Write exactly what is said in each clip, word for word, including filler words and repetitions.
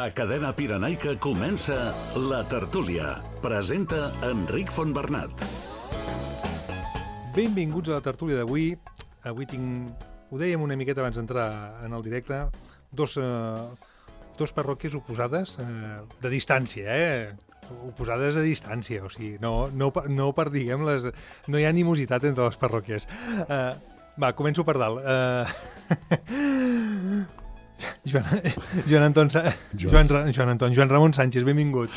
A Cadena Pirenaica comença La Tertúlia. Presenta Enric Fontbernat. Benvinguts a la tertúlia d'avui. Avui tinc, ho dèiem una miqueta abans d'entrar en el directe, dos, eh, dos parròquies oposades eh, de distància, eh? Oposades a distància, o sigui, no, no, no per, diguem, les, no hi ha animositat entre les parròquies. Eh, va, començo per dalt. Eh... Joan, Joan, Anton, Joan, Joan Anton, Joan Ramon Sánchez, benvingut.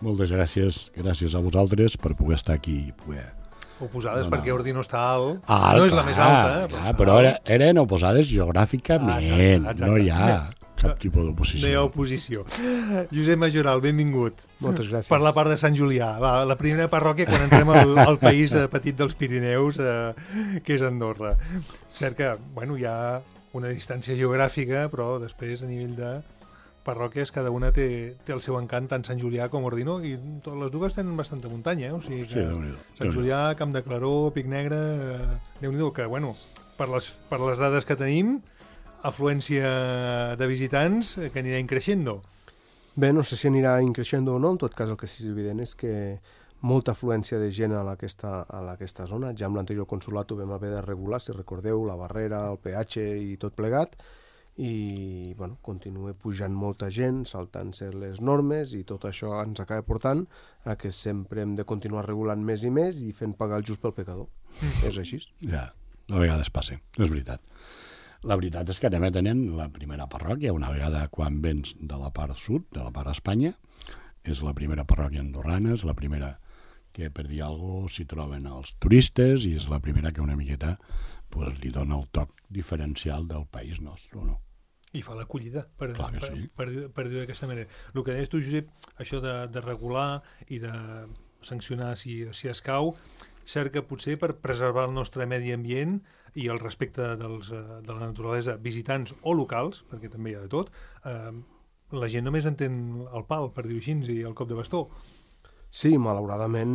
Moltes gràcies, gràcies a vosaltres per poder estar aquí i poder... Oposades no, no. perquè Ordi no està alt, alt no és clar, la més alta. Clar, però era, eren oposades geogràficament, ah, exacte, exacte. No hi ha cap tipus d'oposició. No hi ha oposició. Josep Majoral, benvingut. Moltes gràcies. Per la part de Sant Julià, va, la primera parròquia quan entrem al, al país eh, petit dels Pirineus, eh, que és Andorra. Cert que, bueno, hi ha una distància geogràfica, però després a nivell de parròquies cada una té, té el seu encant, tant Sant Julià com Ordino, i totes les dues tenen bastanta muntanya, eh? O sigui que sí, Sant Julià, Camp de Claró, Pic Negre, eh, Déu-n'hi-do, que bueno, per les, per les dades que tenim, afluència de visitants que anirà increixendo. Bé, no sé si anirà increixendo o no, en tot cas el que sí és evident és que molta afluència de gent a aquesta, a aquesta zona. Ja amb l'anterior consolat ho vam haver de regular, si recordeu, la barrera, el peatge i tot plegat, i bueno, continua pujant molta gent, saltant-se les normes, i tot això ens acaba portant a que sempre hem de continuar regulant més i més i fent pagar el just pel pecador. Mm. És així. Ja, a vegades passa, és veritat. La veritat és que anem tenint la primera parròquia, una vegada quan vens de la part sud, de la part d'Espanya, és la primera parròquia andorrana, és la primera que per dir alguna cosa s'hi troben els turistes i és la primera que una miqueta pues, li dona el toc diferencial del país nostre, no? I fa l'acollida, per, Clar que per, sí. per, per, per dir-ho d'aquesta manera. El que deies tu, Josep, això de, de regular i de sancionar si, si escau, cert que potser per preservar el nostre medi ambient i el respecte dels, de la naturalesa, visitants o locals, perquè també hi ha de tot, eh, la gent només entén el pal, per dir-ho així, i el cop de bastó. Sí, malauradament,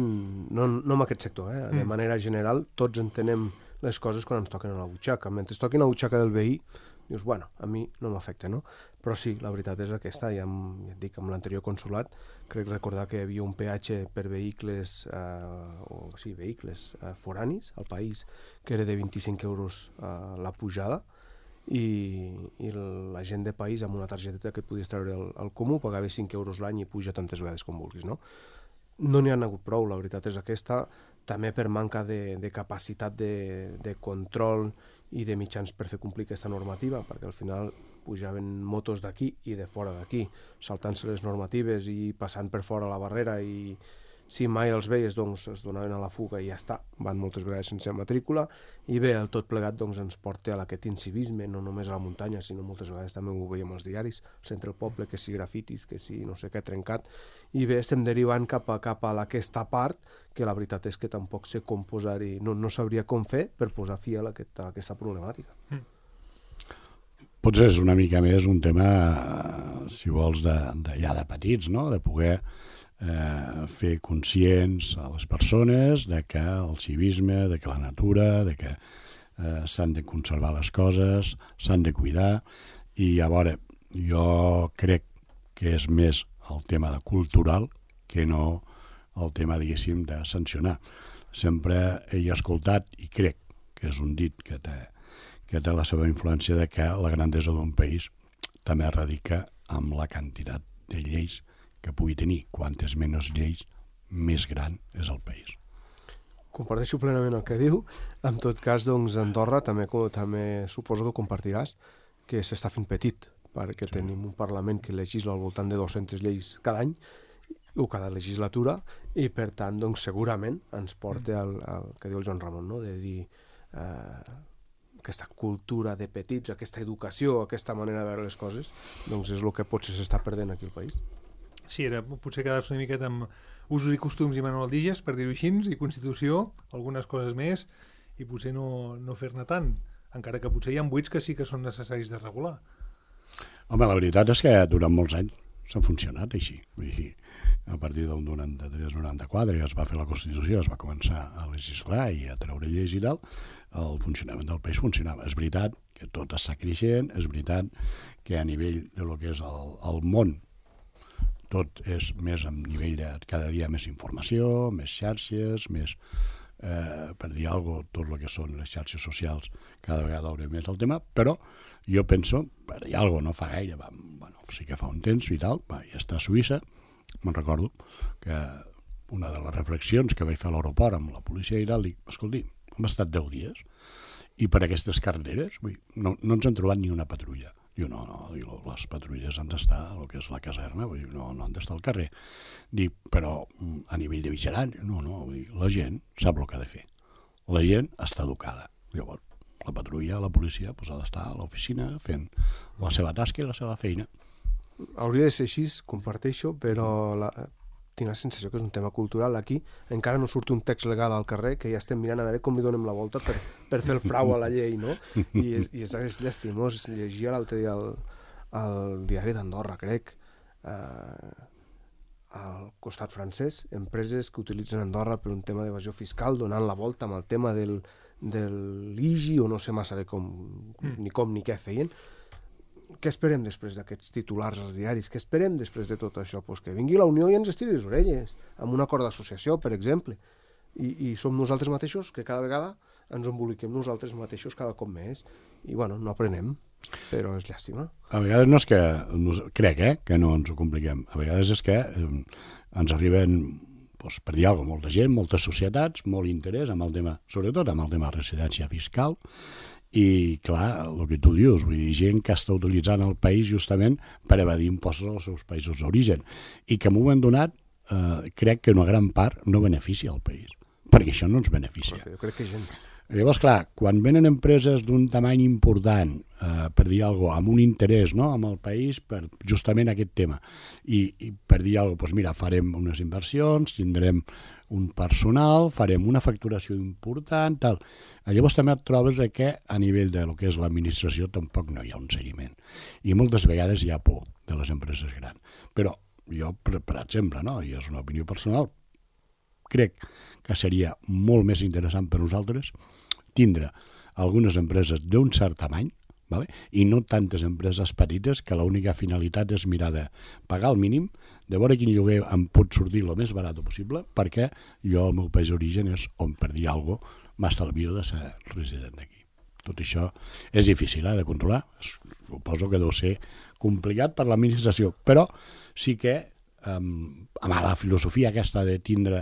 no, no en aquest sector, eh? De mm. manera general, tots entenem les coses quan ens toquen a la butxaca. Mentre es toquen a la butxaca del veí, dius, bueno, a mi no m'afecta, no? Però sí, la veritat és aquesta, ja, amb, ja et dic, amb l'anterior consolat, crec recordar que hi havia un peatge per vehicles, eh, o sí, vehicles eh, foranis al país, que era de vint-i-cinc euros eh, la pujada, i, i la gent de país amb una targeteta que et podies treure al, al comú pagava cinc euros l'any i puja tantes vegades com vulguis, no? No n'hi ha hagut prou, la veritat és aquesta, també per manca de, de capacitat de, de control i de mitjans per fer complir aquesta normativa, perquè al final pujaven motos d'aquí i de fora d'aquí, saltant-se les normatives i passant per fora la barrera, i si mai els veies doncs es donaven a la fuga i ja està, van moltes vegades sense matrícula, i bé, el tot plegat doncs ens porta a aquest incivisme, no només a la muntanya, sinó moltes vegades també ho veiem als diaris, al centre del poble, que si grafitis, que si no sé què trencat, i bé, estem derivant cap a, cap a aquesta part, que la veritat és que tampoc sé com posar-hi, no, no sabria com fer per posar fi a aquesta, a aquesta problemàtica. Mm. Potser és una mica més un tema, si vols, de, de ja de petits, no? De poder Eh, fer conscients a les persones de que el civisme, de que la natura, de que eh, s'han de conservar les coses, s'han de cuidar, i a veure, jo crec que és més el tema de cultural que no el tema, diguéssim, de sancionar. Sempre he escoltat, i crec que és un dit que té, que té la seva influència, de que la grandesa d'un país també radica amb la quantitat de lleis que pugui tenir. Quantes menys lleis, més gran és el país. Comparteixo plenament el que diu. En tot cas, doncs, Andorra també, també suposo que compartiràs que s'està fent petit, perquè sí. Tenim un Parlament que legisla al voltant de dues-centes lleis cada any, o cada legislatura, i per tant, doncs, segurament ens porta al, al que diu el Joan Ramon, no? De dir eh, aquesta cultura de petits, aquesta educació, aquesta manera de veure les coses, doncs és el que potser s'està perdent aquí al país. Sí, era potser quedar-se una miqueta amb usos i costums i manualdiges, per dir-ho així, i Constitució, algunes coses més, i potser no, no fer-ne tant, encara que potser hi ha buits que sí que són necessaris de regular. Home, la veritat és que durant molts anys s'ha funcionat així. Vull dir, a partir del noranta-tres noranta-quatre, que es va fer la Constitució, es va començar a legislar i a treure lleis i tal, el funcionament del país funcionava. És veritat que tot està creixent, és veritat que a nivell de lo que és el, el món tot és més a nivell de cada dia més informació, més xarxes, més, eh, per dir alguna cosa, tot el que són les xarxes socials, cada vegada haurem més el tema, però jo penso, per dir alguna cosa, no fa gaire, va, bueno, sí que fa un temps i tal, va, ja està a Suïssa, me'n recordo que una de les reflexions que vaig fer a l'aeroport amb la policia i tal, dic, escolti, hem estat deu dies i per aquestes carreteres vull, no, no ens han trobat ni una patrulla. Diu, no, no, diu, les patrulles han d'estar a el que és la caserna, vull dir, no, no han d'estar al carrer. Dic, però a nivell de vigilància, no, no, vull dir, la gent sap el que ha de fer. La gent està educada. Llavors, la patrulla, la policia, doncs, ha d'estar a l'oficina fent la seva tasca i la seva feina. Hauria de ser així, comparteixo, però la, tinc la sensació que és un tema cultural. Aquí encara no surt un text legal al carrer que ja estem mirant a veure com li donem la volta per, per fer el frau a la llei, no? I és, i és, és llastimós. Llegia l'altre dia al, al diari d'Andorra, crec, eh, al costat francès, empreses que utilitzen Andorra per un tema d'evasió fiscal, donant la volta amb el tema del, del I G I o no sé massa bé com, ni com ni què feien. Què esperem després d'aquests titulars als diaris? Què esperem després de tot això? Pues que vingui la Unió i ens estiri les orelles, amb un acord d'associació, per exemple. I, I som nosaltres mateixos que cada vegada ens emboliquem nosaltres mateixos cada cop més. I, bueno, no aprenem, però és llàstima. A vegades no és que, crec, eh, que no ens ho compliquem. A vegades és que eh, ens arriben, doncs, per dir alguna cosa, molta gent, moltes societats, molt interès amb el tema, sobretot amb el tema de residència fiscal. I, clar, el que tu dius, vull dir, gent que està utilitzant el país justament per evadir impostos als seus països d'origen i que en un moment donat eh, crec que una gran part no beneficia el país, perquè això no ens beneficia. Jo crec que gent. Llavors, clar, quan venen empreses d'un tamany important, eh, per dir alguna cosa, amb un interès, no?, amb el país per justament aquest tema, i, i per dir alguna cosa, doncs mira, farem unes inversions, tindrem un personal, farem una facturació important, tal. Llavors també et trobes que a nivell de lo que és l'administració tampoc no hi ha un seguiment. I moltes vegades hi ha por de les empreses grans. Però jo, per, per exemple, no?, i és una opinió personal, crec que seria molt més interessant per nosaltres tindre algunes empreses d'un cert tamany, vale? I no tantes empreses petites que l'única finalitat és mirar de pagar el mínim, de veure quin lloguer em pot sortir el més barat possible, perquè jo, el meu país d'origen és on, per dir alguna cosa, m'estalvio de ser resident d'aquí. Tot això és difícil eh, de controlar, suposo que deu ser complicat per l'administració, però sí que Um, amb la filosofia aquesta de tindre,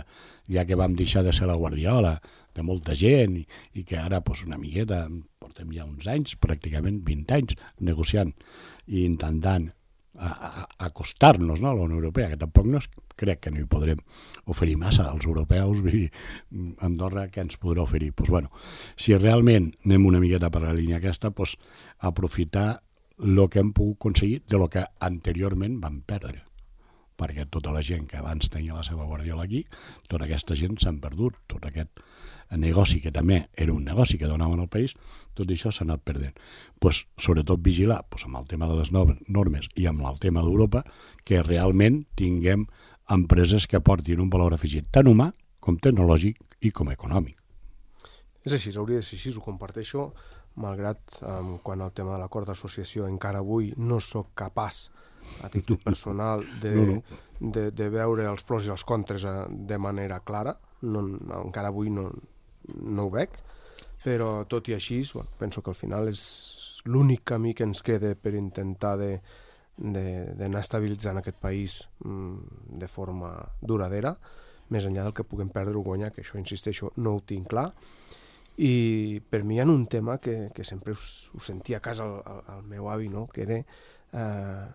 ja que vam deixar de ser la guardiola de molta gent i, i que ara pues, una miqueta portem ja uns anys, pràcticament vint anys negociant i intentant a, a, acostar-nos, no, a la Unió Europea, que tampoc no és, crec que no hi podrem oferir massa als europeus, vull dir, Andorra què ens podrà oferir? Pues, bueno, si realment anem una miqueta per la línia aquesta, pues, aprofitar el que hem pogut aconseguir de lo que anteriorment vam perdre, perquè tota la gent que abans tenia la seva guardiola aquí, tota aquesta gent s'han perdut, tot aquest negoci que també era un negoci que donaven al país, tot això s'ha anat perdent. Pues, sobretot vigilar pues, amb el tema de les normes i amb el tema d'Europa, que realment tinguem empreses que portin un valor afegit tant humà com tecnològic i com econòmic. És així, hauria de ser així, ho comparteixo, malgrat um, quan el tema de l'acord d'associació encara avui no sóc capaç a títol personal de, no, no. de, de veure els pros i els contres de manera clara, no, encara avui no, no ho veig, però tot i així bueno, penso que al final és l'únic camí que ens queda per intentar de, de, d'anar estabilitzant aquest país mm, de forma duradera, més enllà del que puguem perdre o guanyar, que això, insisteixo, no ho tinc clar. I per mi hi ha un tema que, que sempre us, us sentia a casa el, el, el meu avi, no? Que era eh,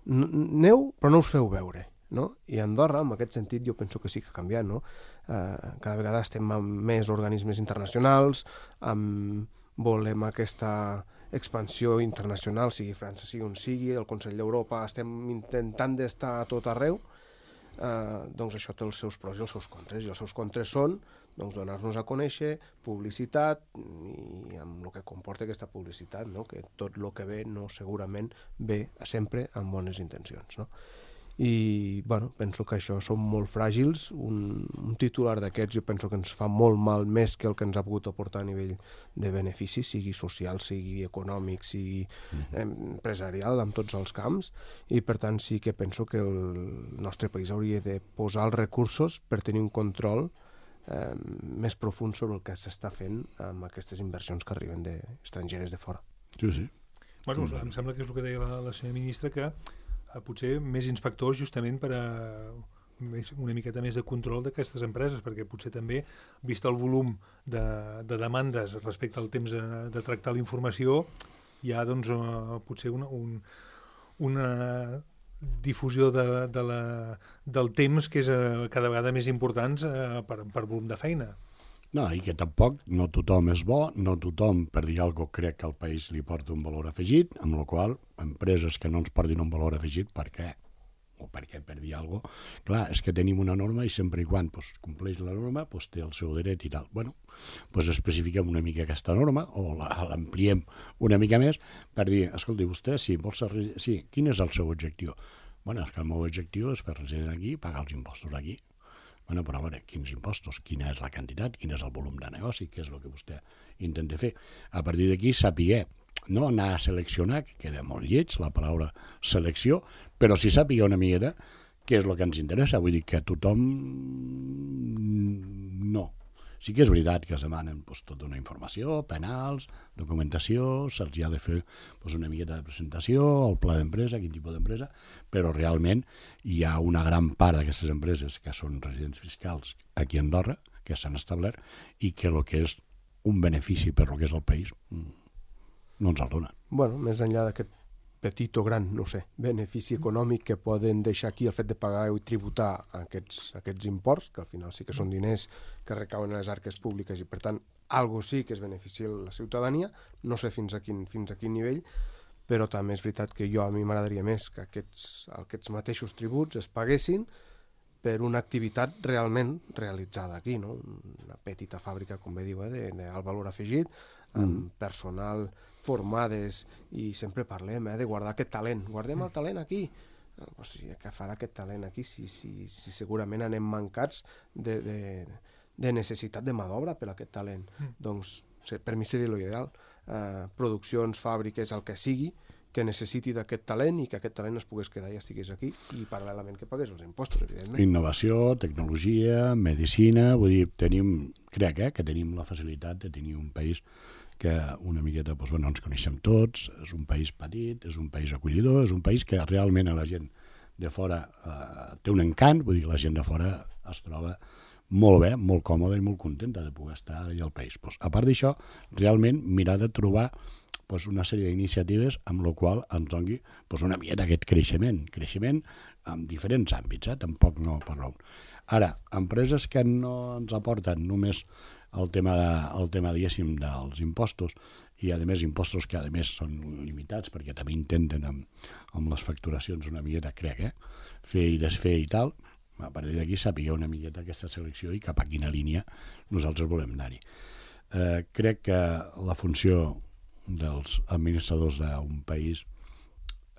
neu però no us feu veure, no? I a Andorra, en aquest sentit, jo penso que sí que ha canviat, no? Eh, cada vegada estem amb més organismes internacionals, amb, volem aquesta expansió internacional, sigui França, sigui on sigui, el Consell d'Europa, estem intentant d'estar a tot arreu, eh, doncs això té els seus pros i els seus contres, i els seus contres són doncs, donar-nos a conèixer, publicitat, i amb el que comporta aquesta publicitat, no? Que tot el que ve no segurament ve sempre amb bones intencions, no? i bueno, penso que això són molt fràgils. Un, un titular d'aquests jo penso que ens fa molt mal, més que el que ens ha pogut aportar a nivell de benefici, sigui social, sigui econòmic, sigui eh, empresarial, en tots els camps, i per tant sí que penso que el nostre país hauria de posar els recursos per tenir un control eh, més profund sobre el que s'està fent amb aquestes inversions que arriben de, estrangeres de fora. Sí, sí. Bueno, em sembla que és el que deia la, la senyora ministra, que potser més inspectors justament per a més, una miqueta més de control d'aquestes empreses, perquè potser també, vist el volum de, de demandes respecte al temps de, de tractar la informació, hi ha doncs, uh, potser una, un, una difusió de, de la, del temps que és uh, cada vegada més important uh, per, per volum de feina. No, i que tampoc no tothom és bo, no tothom, per dir alguna cosa, crec que al país li porta un valor afegit, amb la qual empreses que no ens portin un valor afegit, per què? O per què, per dir alguna cosa? Clar, és que tenim una norma i sempre i quan pues, compleix la norma pues, té el seu dret i tal. Bueno, pues especifiquem una mica aquesta norma o l'ampliem una mica més per dir, escolti, vostè, sí, vol ser, sí, quin és el seu objectiu? Bueno, és que el meu objectiu és fer resident aquí i pagar els impostos aquí. Bueno, però a veure, quins impostos, quina és la quantitat, quin és el volum de negoci, què és el que vostè intenta fer. A partir d'aquí, saber, no anar a seleccionar, que queda molt lleig la paraula selecció, però sí saber una miqueta què és el que ens interessa. Vull dir que tothom no. Sí que és veritat que es demanen pues, tota una informació, penals, documentació, se'ls ha de fer pues, una miqueta de presentació, el pla d'empresa, quin tipus d'empresa, però realment hi ha una gran part d'aquestes empreses que són residents fiscals aquí a Andorra, que s'han establert, i que el que és un benefici per el que és el país no ens el donen. Bueno, més enllà d'aquest petit o gran, no sé, benefici econòmic que poden deixar aquí el fet de pagar i tributar aquests, aquests imports, que al final sí que són diners que recauen a les arques públiques i per tant algo sí que es beneficia la ciutadania, no sé fins a quin, fins a quin nivell, però també és veritat que jo a mi m'agradaria més que aquests, aquests mateixos tributs es paguessin per una activitat realment realitzada aquí, no? Una petita fàbrica, com bé diu, eh, de, de alt valor afegit, amb mm. personal formades, i sempre parlem eh, de guardar aquest talent. Guardem el talent aquí. O sigui, què farà aquest talent aquí si, si, si segurament anem mancats de, de, de necessitat de mà d'obra per a aquest talent? Mm. Doncs per mi seria l'ideal. Eh, produccions, fàbriques, el que sigui, que necessiti d'aquest talent i que aquest talent es pogués quedar i estigués aquí i paral·lelament que pagués els impostos, evidentment. Innovació, tecnologia, medicina, vull dir, tenim, crec eh, que tenim la facilitat de tenir un país que una miqueta doncs, bueno, ens coneixem tots, és un país petit, és un país acollidor, és un país que realment a la gent de fora eh, té un encant, vull dir, la gent de fora es troba molt bé, molt còmoda i molt contenta de poder estar allà al país. Pues, a part d'això, realment mirar de trobar pues, una sèrie d'iniciatives amb la qual ens doni pues, una miqueta aquest creixement, creixement en diferents àmbits, eh? Tampoc no per raó. Ara, empreses que no ens aporten només el tema, de, el tema diguéssim, dels impostos, i a més impostos que a més són limitats perquè també intenten amb, amb les facturacions una miqueta, crec, eh? fer i desfer i tal, a partir d'aquí sàpiga una miqueta aquesta selecció i cap a quina línia nosaltres volem anar-hi. Eh, crec que la funció dels administradors d'un país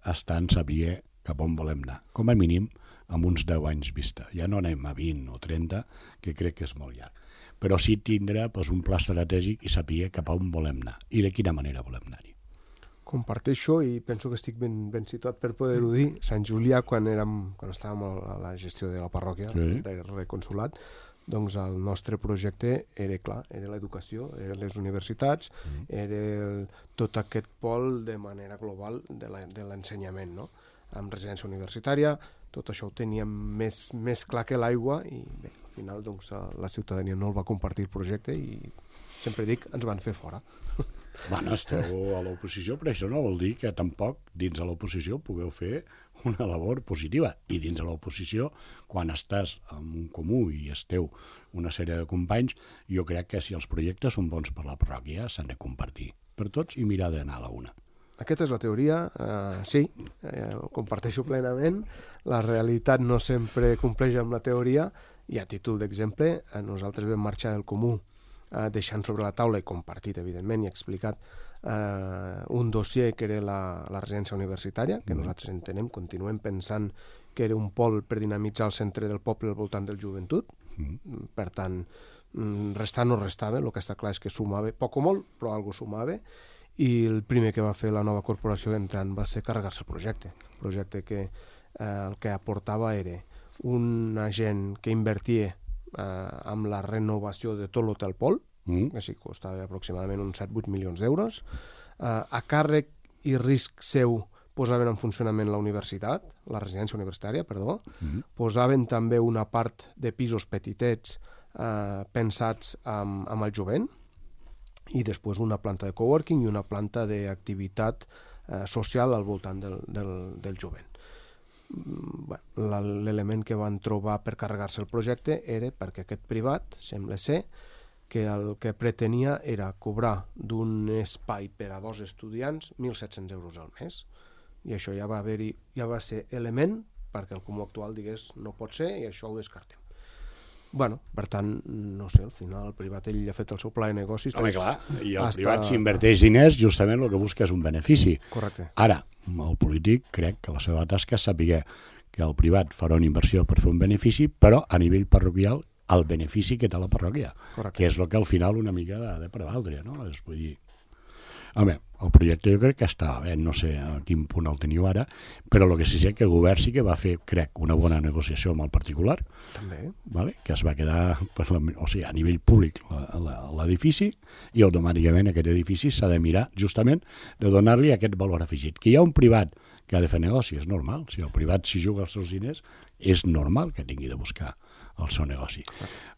està en saber cap on volem anar, com a mínim amb uns deu anys vista. Ja no anem a vint o trenta, que crec que és molt llarg. Però sí tindrà doncs, un pla estratègic i saber cap a on volem anar i de quina manera volem anar-hi. Comparteixo i penso que estic ben, ben situat per poder-ho dir. Sant Julià, quan, érem, quan estàvem a la gestió de la parròquia, sí. del reconsulat, doncs el nostre projecte era clar, era l'educació, eren les universitats, mm. era el, tot aquest pol de manera global de l'ensenyament, no? Amb residència universitària, tot això ho teníem més, més clar que l'aigua i bé, al final doncs, la ciutadania no el va compartir el projecte i sempre dic, ens van fer fora. Bueno, esteu a l'oposició, però això no vol dir que tampoc dins de l'oposició pugueu fer una labor positiva. I dins de l'oposició, quan estàs en un comú i esteu una sèrie de companys, jo crec que si els projectes són bons per la parròquia, s'han de compartir per tots i mirar d'anar a la una. Aquesta és la teoria, eh, sí, eh, ho comparteixo plenament. La realitat no sempre compleix amb la teoria i a títol d'exemple, eh, nosaltres vam marxar del comú eh, deixant sobre la taula i compartit, evidentment, i explicat eh, un dossier que era la, la residència universitària, que nosaltres entenem, continuem pensant que era un pol per dinamitzar el centre del poble al voltant del joventut. Mm. Per tant, restar no restava, el que està clar és que sumava, poc o molt, però algo sumava, i el primer que va fer la nova corporació entrant va ser carregar-se el projecte. El projecte que eh, el que aportava era una gent que invertia eh, amb la renovació de tot l'hotel Pol, mm. que sí, costava aproximadament uns set vuit milions d'euros. Eh, a càrrec i risc seu posaven en funcionament la universitat, la residència universitària, perdó, mm. posaven també una part de pisos petitets eh, pensats amb, amb el jovent, i després una planta de coworking i una planta d'activitat eh, social al voltant del, del, del jovent. Bueno, l'element que van trobar per carregar-se el projecte era perquè aquest privat, sembla ser, que el que pretenia era cobrar d'un espai per a dos estudiants mil set-cents euros al mes. I això ja va haver-hi, ja va ser element perquè el comú actual digués no pot ser i això ho descartem. Bueno, per tant, no sé, al final el privat ell ha fet el seu pla de negocis. Home, clar, i el hasta... privat s'inverteix diners, justament el que busca és un benefici. Correcte. Ara, el polític crec que la seva tasca és saber que el privat farà una inversió per fer un benefici, però a nivell parroquial el benefici que té la parròquia, correcte, que és el que al final una mica ha de prevaldre, no? És, vull dir... Home, el projecte jo crec que estava bé, no sé a quin punt el teniu ara, però el que sí sé que el govern sí que va fer, crec, una bona negociació amb el particular, també, vale? Que es va quedar, per la, o sigui, a nivell públic l'edifici, i automàticament aquest edifici s'ha de mirar justament de donar-li aquest valor afegit. Que hi ha un privat que ha de fer negoci, és normal. Si el privat s'hi juga els seus diners, és normal que tingui de buscar el seu negoci.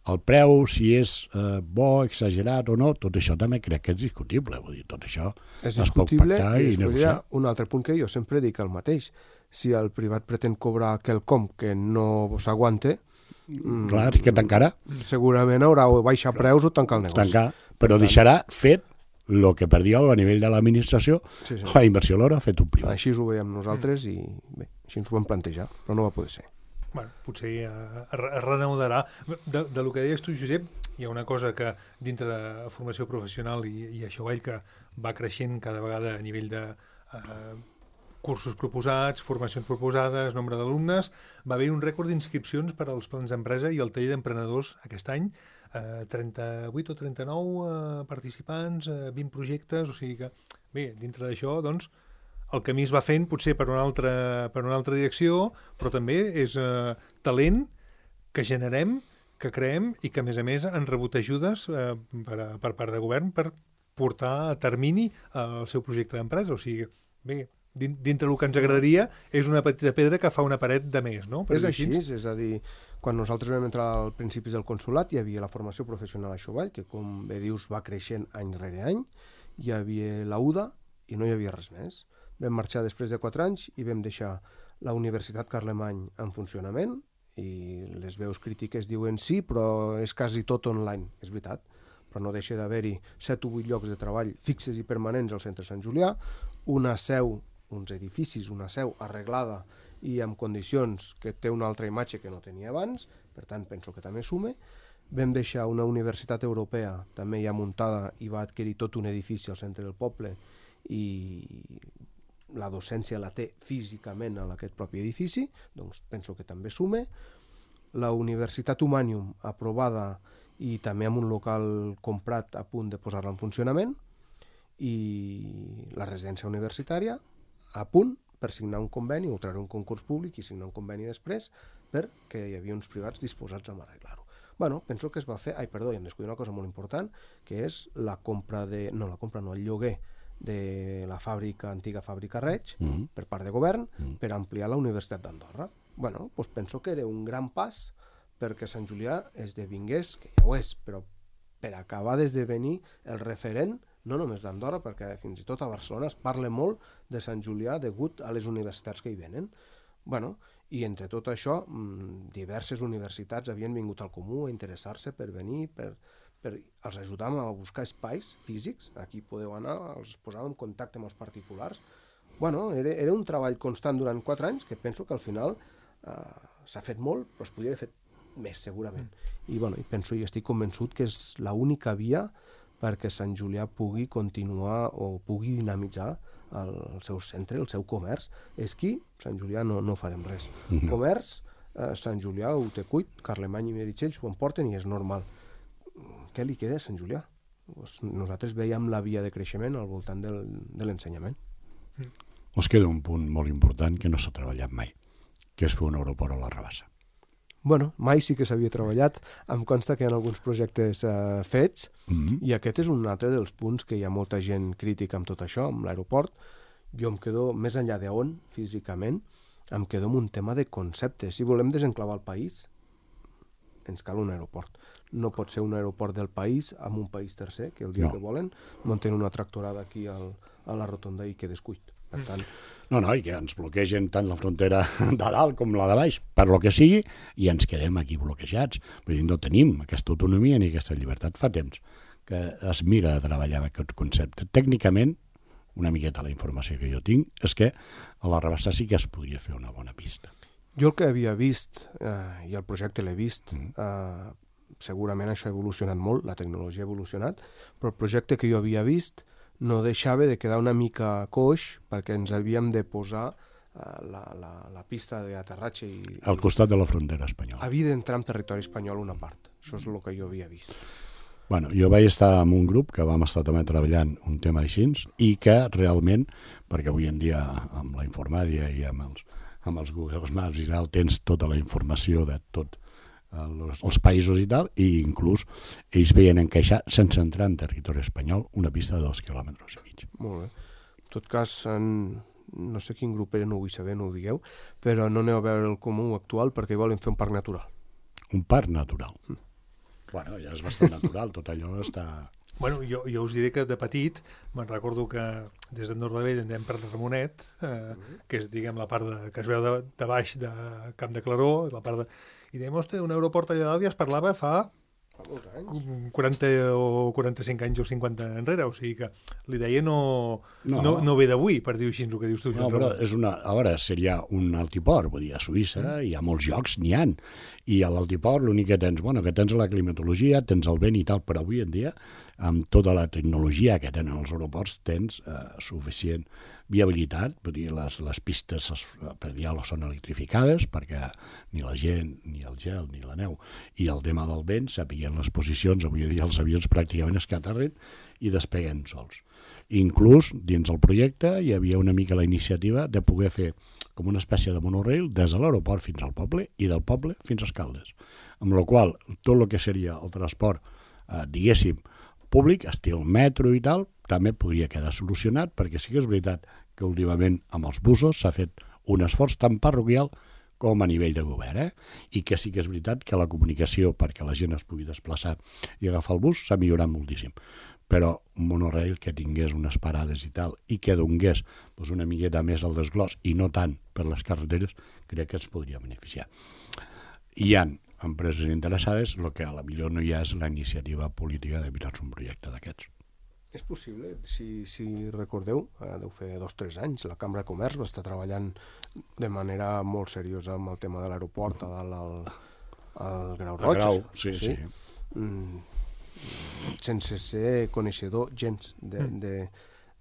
El preu, si és eh, bo, exagerat o no, tot això també crec que és discutible. Vull dir, tot això és es pot pactar i, i negociar. Un altre punt que jo sempre dic el mateix. Si el privat pretén cobrar quelcom que no s'aguante, clar, que tancarà. Segurament haurà o baixar preus o tancar el negoci. Tancar, però deixarà fet el que per dir a nivell de l'administració, sí, sí. La inversió l'haurà fet un privat. Així ho veiem nosaltres i bé, així ens ho vam plantejar, però no va poder ser. Bueno, potser es renaudarà. De, de lo que deies tu, Josep, hi ha una cosa que dintre de formació professional i, i això que va creixent cada vegada a nivell de eh, cursos proposats, formacions proposades, nombre d'alumnes. Va haver un rècord d'inscripcions per als plans d'empresa i el taller d'emprenedors aquest any. Eh, trenta-vuit o trenta-nou eh, participants, eh, vint projectes, o sigui que, bé, dintre d'això, doncs, el camí es va fent potser per una altra, per una altra direcció, però també és eh, talent que generem, que creem i que, a més a més, han rebut ajudes eh, per, per part de govern per portar a termini el seu projecte d'empresa. O sigui, bé, dintre del que ens agradaria és una petita pedra que fa una paret de més, no? Per és així, així, és a dir, quan nosaltres vam entrar al principis del consolat hi havia la formació professional a Xovall, que com bé dius va creixent any rere any, hi havia la U D A i no hi havia res més. Vam marxar després de quatre anys i vam deixar la Universitat Carlemany en funcionament i les veus crítiques diuen sí, però és quasi tot online, és veritat, però no deixa d'haver-hi set o vuit llocs de treball fixes i permanents al centre Sant Julià, una seu, uns edificis, una seu arreglada i amb condicions que té una altra imatge que no tenia abans, per tant penso que també sume. Vam deixar una universitat europea també ja muntada i va adquirir tot un edifici al centre del poble i la docència la té físicament en aquest propi edifici, doncs penso que també sume. La Universitat Humanium aprovada i també amb un local comprat a punt de posar-la en funcionament i la residència universitària a punt per signar un conveni o treure un concurs públic i signar un conveni després perquè hi havia uns privats disposats a arreglar-ho. Bueno, penso que es va fer, ai perdó, i em descuido una cosa molt important, que és la compra de, no la compra, no, el lloguer de la fàbrica, antiga fàbrica Reig, mm-hmm. per part de govern, mm-hmm. per ampliar la Universitat d'Andorra. Bueno, doncs penso que era un gran pas perquè Sant Julià esdevingués, que ja ho és, però per acabar d'esdevenir el referent, no només d'Andorra, perquè fins i tot a Barcelona es parla molt de Sant Julià degut a les universitats que hi venen. Bueno, i entre tot això, diverses universitats havien vingut al comú a interessar-se per venir, per... per els ajudàvem a buscar espais físics, aquí podeu anar, els posàvem en contacte amb els particulars. Bueno, era, era un treball constant durant quatre anys que penso que al final eh, s'ha fet molt, però es podria haver fet més, segurament. I, bueno, i penso i estic convençut que és l'única via perquè Sant Julià pugui continuar o pugui dinamitzar el, el seu centre, el seu comerç. Esquí, Sant Julià no, no farem res. Mm-hmm. Comerç, eh, Sant Julià ho té cuit, Carlemany i Meritxell s'ho emporten i és normal. Què li queda a Sant Julià? Pues nosaltres veiem la via de creixement al voltant del, de l'ensenyament. Mm. Us queda un punt molt important que no s'ha treballat mai, que és fer un aeroport a la Rabassa. Bueno, mai sí que s'havia treballat. Em consta que hi ha alguns projectes eh, fets, mm-hmm. i aquest és un altre dels punts que hi ha molta gent crítica amb tot això, amb l'aeroport. Jo em quedo, més enllà d'on, físicament, em quedo amb un tema de concepte. Si volem desenclavar el país, ens cal un aeroport. No pot ser un aeroport del país amb un país tercer, que el dia no. que volen munten una tractorada aquí al, a la rotonda i que descuit. Per tant... No, no, i que ens bloquegen tant la frontera de dalt com la de baix, per lo que sigui, i ens quedem aquí bloquejats. Vull dir, no tenim aquesta autonomia ni aquesta llibertat. Fa temps que es mira de treballar amb aquest concepte. Tècnicament, una miqueta la informació que jo tinc, és que a la Rabassa sí que es podria fer una bona pista. Jo el que havia vist, eh, i el projecte l'he vist, mm. eh, segurament això ha evolucionat molt, la tecnologia ha evolucionat, però el projecte que jo havia vist no deixava de quedar una mica coix perquè ens havíem de posar uh, la, la, la pista d'aterratge i... Al costat de la frontera espanyola. Havia d'entrar en territori espanyol una part. Això és el que jo havia vist. Bueno, jo vaig estar en un grup que vam estar també treballant un tema així i que realment, perquè avui en dia amb la informàtica i amb els, amb els Google Maps i tal, tens tota la informació de tot Els, els països i tal, i inclús ells veien encaixar, sense entrar en territori espanyol, una pista de dos quilòmetres i mig. Molt bé. En tot cas, en... no sé quin grup era, no ho vull saber, no ho digueu, però no aneu a veure el comú actual perquè volen fer un parc natural. Un parc natural? Mm. Bueno, ja és bastant natural, tot allò està... Bueno, jo, jo us diré que de petit me'n recordo que des de Nordavell anem per Ramonet, eh, mm-hmm. que és, diguem, la part de, que es veu de, de baix de Camp de Claró, la part de... I dèiem, ostres, un aeroport allà dalt ja es parlava fa quaranta o quaranta-cinc anys o cinquanta enrere, o sigui que l'idea no, no. no, no ve d'avui, per dir-ho així, el que dius tu. No, però és una, a veure, seria un altiport, vull dir, a Suïssa mm. hi ha molts llocs, n'hi ha, i a l'altiport l'únic que tens, bueno, que tens la climatologia, tens el vent i tal, però avui en dia, amb tota la tecnologia que tenen els aeroports, tens eh, suficient viabilitat, vull dir, les, les pistes per diàleg són electrificades perquè ni la gent, ni el gel, ni la neu i el tema del vent sapiguen les posicions, avui dia els avions pràcticament es que aterren i despeguen sols. Inclús dins el projecte hi havia una mica la iniciativa de poder fer com una espècie de monorail des de l'aeroport fins al poble i del poble fins a Escaldes, amb la qual tot el que seria el transport, eh, diguéssim, públic, estil metro i tal, també podria quedar solucionat, perquè sí que és veritat que últimament amb els busos s'ha fet un esforç tant parroquial com a nivell de govern, eh? I que sí que és veritat que la comunicació perquè la gent es pugui desplaçar i agafar el bus s'ha millorat moltíssim. Però un monorail que tingués unes parades i tal, i que donés doncs, una miqueta més al desglòs, i no tant per les carreteres, crec que ens podria beneficiar. Hi ha empreses interessades, el que a la millor no hi ha és la iniciativa política de mirar un projecte d'aquests. És possible, si, si recordeu, eh, deu fer dos o tres anys, la Cambra de Comerç va estar treballant de manera molt seriosa amb el tema de l'aeroport a dalt al, al Grau Roig. Grau, sí, sí. sí. Mm, sense ser coneixedor gens de, de,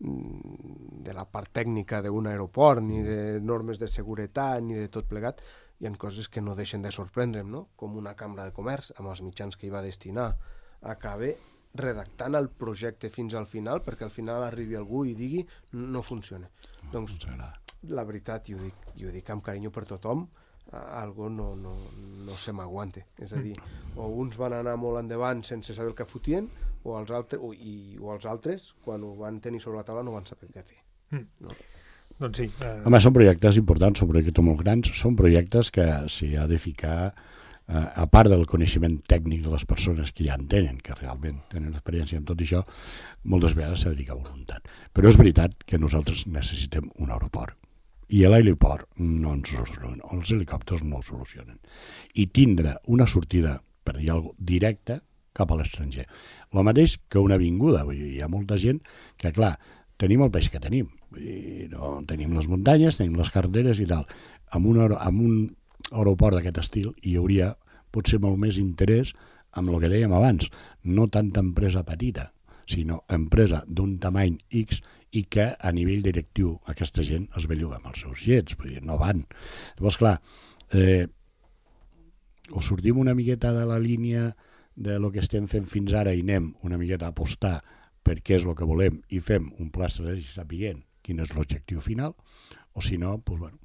de la part tècnica d'un aeroport, ni de normes de seguretat, ni de tot plegat, hi ha coses que no deixen de sorprendre'm, no? Com una Cambra de Comerç, amb els mitjans que hi va destinar, acaba redactant el projecte fins al final, perquè al final arribi algú i digui no funciona. No, doncs, la veritat, i ho dic, i ho dic amb carinyo per tothom, algo no, no, no se m'aguante. És a dir, o uns van anar molt endavant sense saber el que fotien, o els altres, o, i, o els altres, quan ho van tenir sobre la taula, no van saber què fer. No? Doncs sí. Eh... Home, són projectes importants, són projectes molt grans, són projectes que s'hi ha de ficar, eh, a part del coneixement tècnic de les persones que ja en tenen, que realment tenen experiència en tot això, moltes vegades s'ha de ficar voluntat. Però és veritat que nosaltres necessitem un aeroport. I l'aeroport no ens soluciona, els helicòpters no ho solucionen. I tindre una sortida, per dir alguna cosa, directa cap a l'estranger. El mateix que una avinguda. Vull dir, hi ha molta gent que, clar, tenim el peix que tenim. I no, tenim les muntanyes, tenim les carreteres i tal. Amb un, amb un aeroport d'aquest estil hi hauria potser molt més interès amb el que dèiem abans, no tanta empresa petita, sinó empresa d'un tamany X i que a nivell directiu aquesta gent es belluga amb els seus llets, vull dir, no van. Llavors, clar, eh, o sortim una miqueta de la línia de lo que estem fent fins ara i anem una miqueta a apostar per què és el que volem i fem un pla estratègic sapiguent quin és l'objectiu final, o si no, doncs, bueno,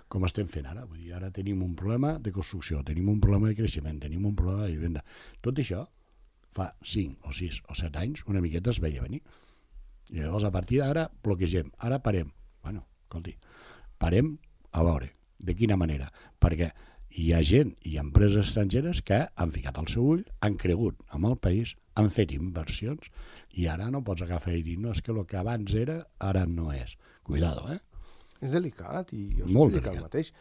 com estem fent ara. Vull dir, ara tenim un problema de construcció, tenim un problema de creixement, tenim un problema de vivenda. Tot això fa cinc o sis o set anys una miqueta es veia venir. I llavors a partir d'ara bloquegem, ara parem. Bueno, escolti, parem a veure de quina manera, perquè hi ha gent i empreses estrangeres que han ficat el seu ull, han cregut amb el país, han fet inversions i ara no pots agafar i dir no, és que el que abans era ara no és. Cuidado, eh? És delicat i jo Molt dic delicat. el mateix.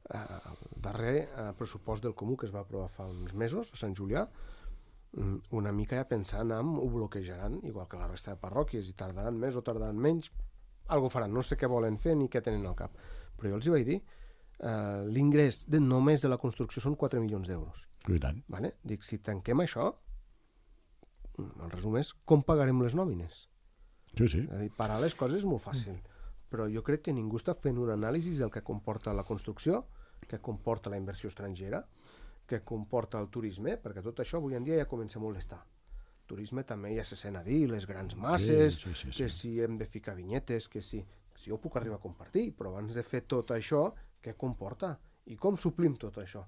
Uh, el darrer uh, pressupost del Comú que es va aprovar fa uns mesos a Sant Julià, um, una mica ja pensant en ho bloquejaran, igual que la resta de parròquies, i tardaran més o tardaran menys, algo faran, no sé què volen fer ni què tenen al cap. Però jo els hi vaig dir, uh, l'ingrés de, només de la construcció són quatre milions d'euros. I tant. Vale? Dic, si tanquem això, el resum és com pagarem les nòmines. Sí, sí. És a dir, parar les coses és molt fàcil, però jo crec que ningú està fent un anàlisi del que comporta la construcció, que comporta la inversió estrangera, que comporta el turisme, perquè tot això avui en dia ja comença a molestar. Turisme també ja se sent a dir, les grans masses, Sí, sí, sí, sí. que si hem de ficar vinyetes, que si, si jo puc arribar a compartir, però abans de fer tot això, què comporta? I com suplim tot això?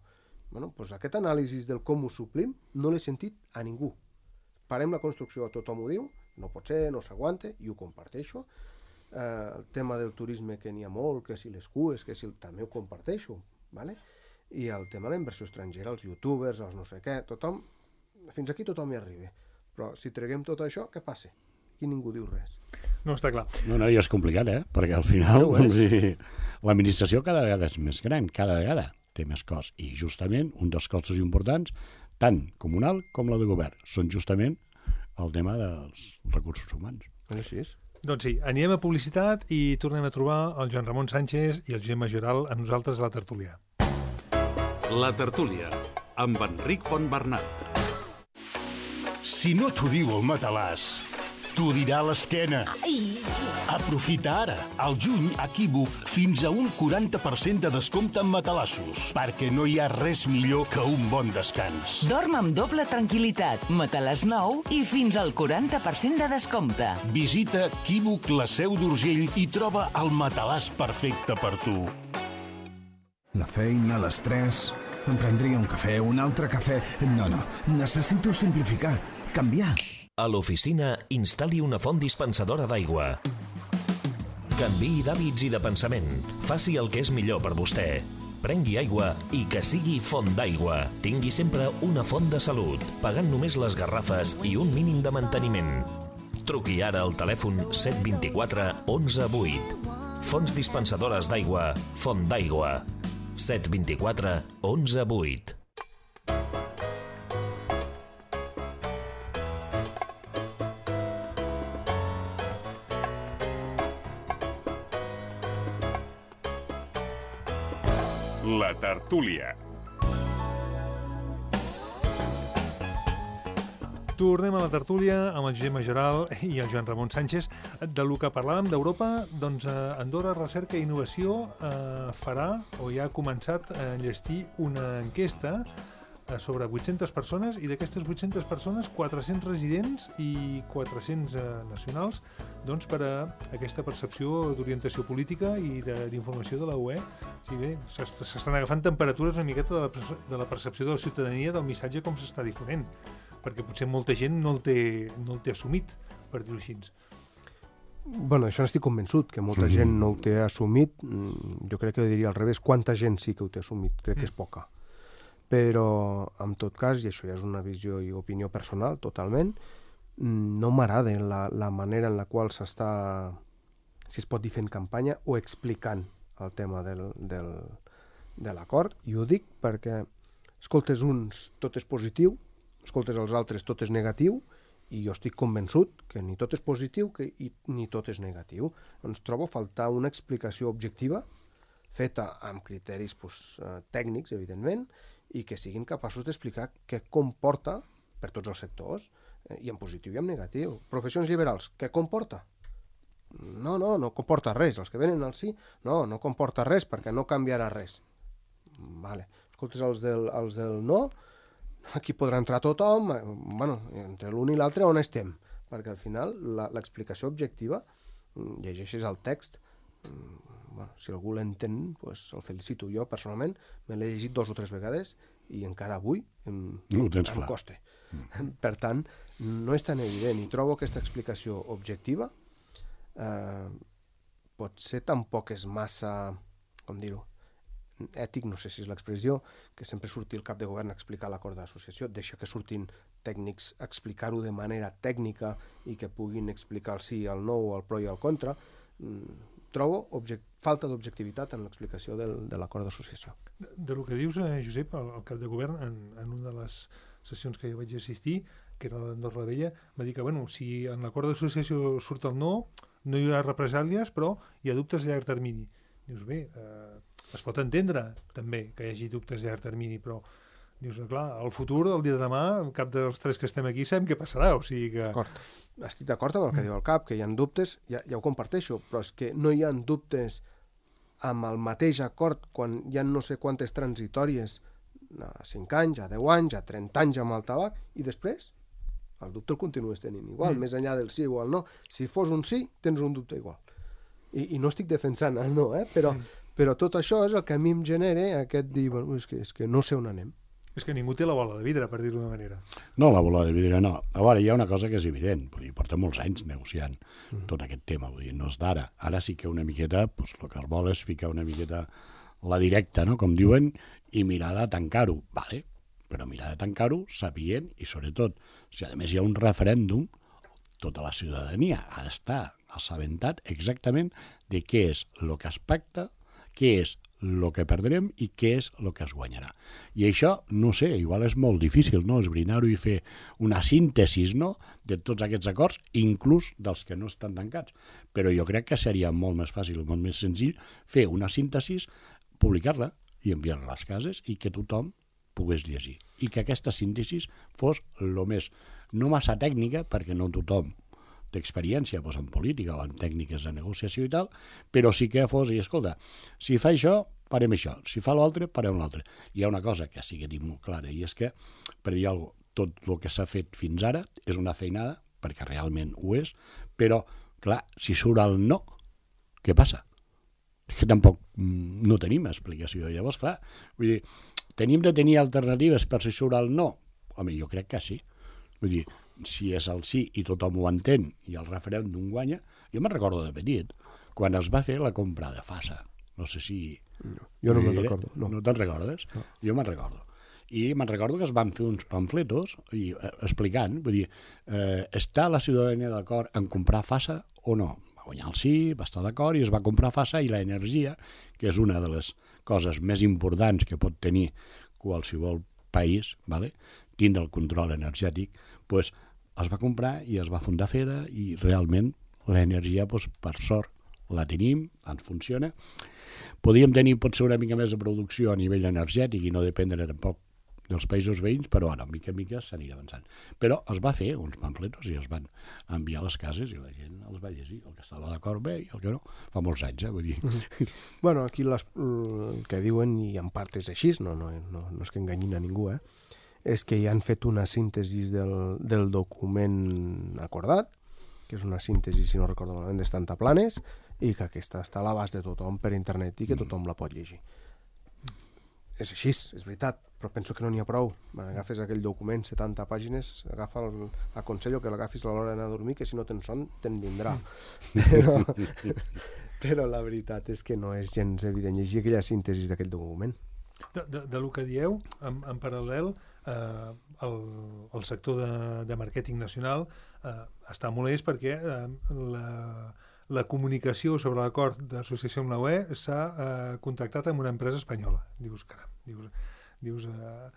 Bueno, doncs aquest anàlisi del com ho suplim no l'he sentit a ningú. Parem la construcció, tothom ho diu, no pot ser, no s'aguanta, i ho comparteixo. Eh, el tema del turisme, que n'hi ha molt, que si les cues, que si també ho comparteixo, ¿vale? I el tema de la inversió estrangera, els youtubers, els no sé què, tothom, fins aquí tothom hi arriba. Però si treguem tot això, què passa? I ningú diu res. No, està clar. No, no, i és complicat, eh? Perquè al final Ja ho és. vull dir, l'administració cada vegada és més gran, cada vegada té més cost. I justament un dels costos importants, tant comunal com la de govern, són justament el tema dels recursos humans. És així. Doncs sí, anirem a publicitat i tornem a trobar el Joan Ramon Sánchez i el Josep Majoral amb nosaltres a la tertúlia. La tertúlia, amb Enric Fontbernat. Si no t'ho diu el matalàs, t'ho dirà l'esquena. Aprofita ara, al juny, a Equívoc, fins a un quaranta per cent de descompte en matalassos, perquè no hi ha res millor que un bon descans. Dorm amb doble tranquil·litat, matalàs nou i fins al quaranta per cent de descompte. Visita Equívoc, la Seu d'Urgell, i troba el matalàs perfecte per tu. La feina, l'estrès... Em prendria un cafè, un altre cafè... No, no, necessito simplificar, canviar. A l'oficina, instal·li una font dispensadora d'aigua. Canviï d'hàbits i de pensament. Faci el que és millor per vostè. Prengui aigua i que sigui font d'aigua. Tingui sempre una font de salut, pagant només les garrafes i un mínim de manteniment. Truqui ara al telèfon set dos quatre onze vuit. Fonts dispensadores d'aigua, Font d'aigua. set dos quatre onze vuit. La tertúlia. Tornem a la tertúlia amb el Josep Majoral i el Joan Ramon Sánchez. De lo que parlàvem d'Europa, doncs Andorra Recerca i Innovació eh, farà, o ja ha començat a enllestir una enquesta eh, sobre vuit-centes persones, i d'aquestes vuit-centes persones, quatre-cents residents i quatre-cents eh, nacionals, doncs per a aquesta percepció d'orientació política i d'informació de la U E. Sí, bé, s'estan agafant temperatures una miqueta de la, de la percepció de la ciutadania del missatge com s'està difonent, perquè potser molta gent no el té, no el té assumit, per dir-ho així. Bueno, això n'estic convençut, que molta gent no ho té assumit. Jo crec que diria al revés, quanta gent sí que ho té assumit, crec que és poca. Però, en tot cas, i això ja és una visió i opinió personal, totalment, no m'agrada la, la manera en la qual s'està, si es pot dir, fent campanya o explicant el tema del, del, de l'acord. I ho dic perquè, escoltes uns, tot és positiu, escoltes els altres, tot és negatiu, i jo estic convençut que ni tot és positiu que, i, ni tot és negatiu. Ens trobo a faltar una explicació objectiva, feta amb criteris pues, eh, tècnics, evidentment, i que siguin capaços d'explicar què comporta per tots els sectors, eh, i en positiu i en negatiu. Professions liberals, què comporta? No, no, no comporta res. Els que venen al sí, no, no comporta res perquè no canviarà res. Vale. Escoltes, els del, els del no, aquí podrà entrar tothom, bueno, entre l'un i l'altre on estem? Perquè al final l'explicació objectiva, llegeixes el text, bueno, si algú l'entén, pues, el felicito. Jo, personalment, me l'he llegit dos o tres vegades i encara avui em, no em costa. Mm. Per tant, no és tan evident i trobo aquesta explicació objectiva eh, potser tampoc és massa, com dir-ho, ètic, no sé si és l'expressió, que sempre surti el cap de govern a explicar l'acord d'associació, deixa que surtin tècnics a explicar-ho de manera tècnica i que puguin explicar el sí, el no, el pro i el contra. Trobo object... falta d'objectivitat en l'explicació del, de l'acord d'associació. De, de lo que dius, eh, Josep, el, el cap de govern, en, en una de les sessions que jo vaig assistir, que era d'Andorra la Vella, va dir que, bueno, si en l'acord d'associació surt el no, no hi haurà represàlies, però hi ha dubtes a llarg termini. Dius, bé, eh, es pot entendre també que hi hagi dubtes a llarg termini, però dius, clar, el futur, el dia de demà, cap dels tres que estem aquí sabem què passarà, o sigui que... D'acord. Estic d'acord amb el que diu el cap, que hi ha dubtes, ja, ja ho comparteixo, però és que no hi ha dubtes amb el mateix acord quan hi ha no sé quantes transitòries, a cinc anys, a deu anys, a trenta anys amb el tabac, i després el dubte el continues tenint igual, mm. més enllà del sí o el no. Si fos un sí, tens un dubte igual. I, i no estic defensant el no, eh? però, mm. però tot això és el que a mi em genera aquest dir, bueno, és que, és que no sé on anem. És que ningú té la bola de vidre, per dir-ho d'una manera. No, la bola de vidre no. A veure, hi ha una cosa que és evident. Vull dir, porta molts anys negociant mm. tot aquest tema. Vull dir, no és d'ara. Ara sí que una miqueta, doncs, el que es vol és ficar una miqueta la directa, no?, com diuen, i mirar de tancar-ho. Vale, però mirar de tancar-ho sapient, i sobretot, si a més hi ha un referèndum, tota la ciutadania ha d'estar assabentat exactament de què és el que es pacta, què és el que perdrem i què és el que es guanyarà. I això, no sé, igual és molt difícil, no?, esbrinar-ho i fer una síntesi, no?, de tots aquests acords, inclús dels que no estan tancats. Però jo crec que seria molt més fàcil, molt més senzill, fer una síntesi, publicar-la i enviar-la a les cases i que tothom pogués llegir. I que aquesta síntesi fos el més, no massa tècnica, perquè no tothom d'experiència doncs, en política o en tècniques de negociació i tal, però sí que fos, i escolta, si fa això, farem això, si fa l'altre, farem l'altre. Hi ha una cosa que sí que dic molt clara, i és que, per dir alguna cosa, tot el que s'ha fet fins ara és una feinada, perquè realment ho és, però, clar, si surt el no, què passa? És que tampoc no tenim explicació. Llavors, clar, vull dir, tenim de tenir alternatives per si surt el no? Home, jo crec que sí. Vull dir, si és el sí i tothom ho entén i el referèndum guanya, jo me'n recordo de petit, quan es va fer la compra de Fasa. No sé si... No, jo no me'n recordo. No, no te'n recordes? No. Jo me'n recordo. I me'n recordo que es van fer uns pamfletos i, eh, explicant, vull dir, eh, està la ciutadania d'acord en comprar Fasa o no? Va guanyar el sí, va estar d'acord i es va comprar Fasa, i l'energia, que és una de les coses més importants que pot tenir qualsevol país, vale? Tindre el control energètic, pues, es va comprar i es va fundar Feda, i realment l'energia, pues, per sort, la tenim, ens funciona. Podríem tenir potser una mica més de producció a nivell energètic i no dependre tampoc dels països veïns, però ara, mica en mica, s'anirà avançant. Però es va fer uns pamfletos i es van enviar a les cases i la gent els va llegir, el que estava d'acord bé i el que no. Fa molts anys, eh, vull dir. Mm-hmm. Bueno, aquí les, el que diuen, i en part és així, no, no, no, no és que enganyin a ningú, eh, és que hi han fet una síntesi del, del document acordat, que és una síntesi, si no recordo malament, d'Estanta Planes, i que aquesta està a l'abast de tothom per internet i que tothom la pot llegir. És així, és veritat, però penso que no n'hi ha prou. Agafes aquell document, setanta pàgines, agafa el, aconsello que l'agafis a l'hora d'anar a dormir, que si no tens son, te'n vindrà. Però, però la veritat és que no és gens evident llegir aquella síntesi d'aquell document. De, de, de lo que dieu, en, en paral·lel, eh, el, el sector de, de màrqueting nacional eh, està molest perquè eh, la, la comunicació sobre l'acord d'associació amb la U E s'ha eh, contactat amb una empresa espanyola. Dius, caram, dius, dius eh,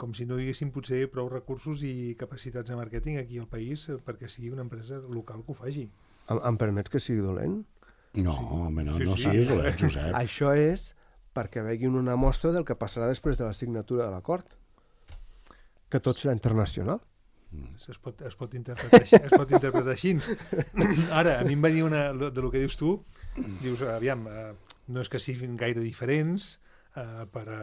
com si no hi haguessin potser prou recursos i capacitats de màrqueting aquí al país eh, perquè sigui una empresa local que ho faci. Em, em permets que sigui dolent? No, sí. home, no, sí, no sí. siguis dolent, Josep. Això és perquè veguin una mostra del que passarà després de la signatura de l'acord. que tot serà internacional. Es pot, es pot interpretar així. Es pot interpretar així. Ara, a mi em va dir una, de, de lo que dius tu, dius, aviam, eh, no és que siguin gaire diferents eh, per a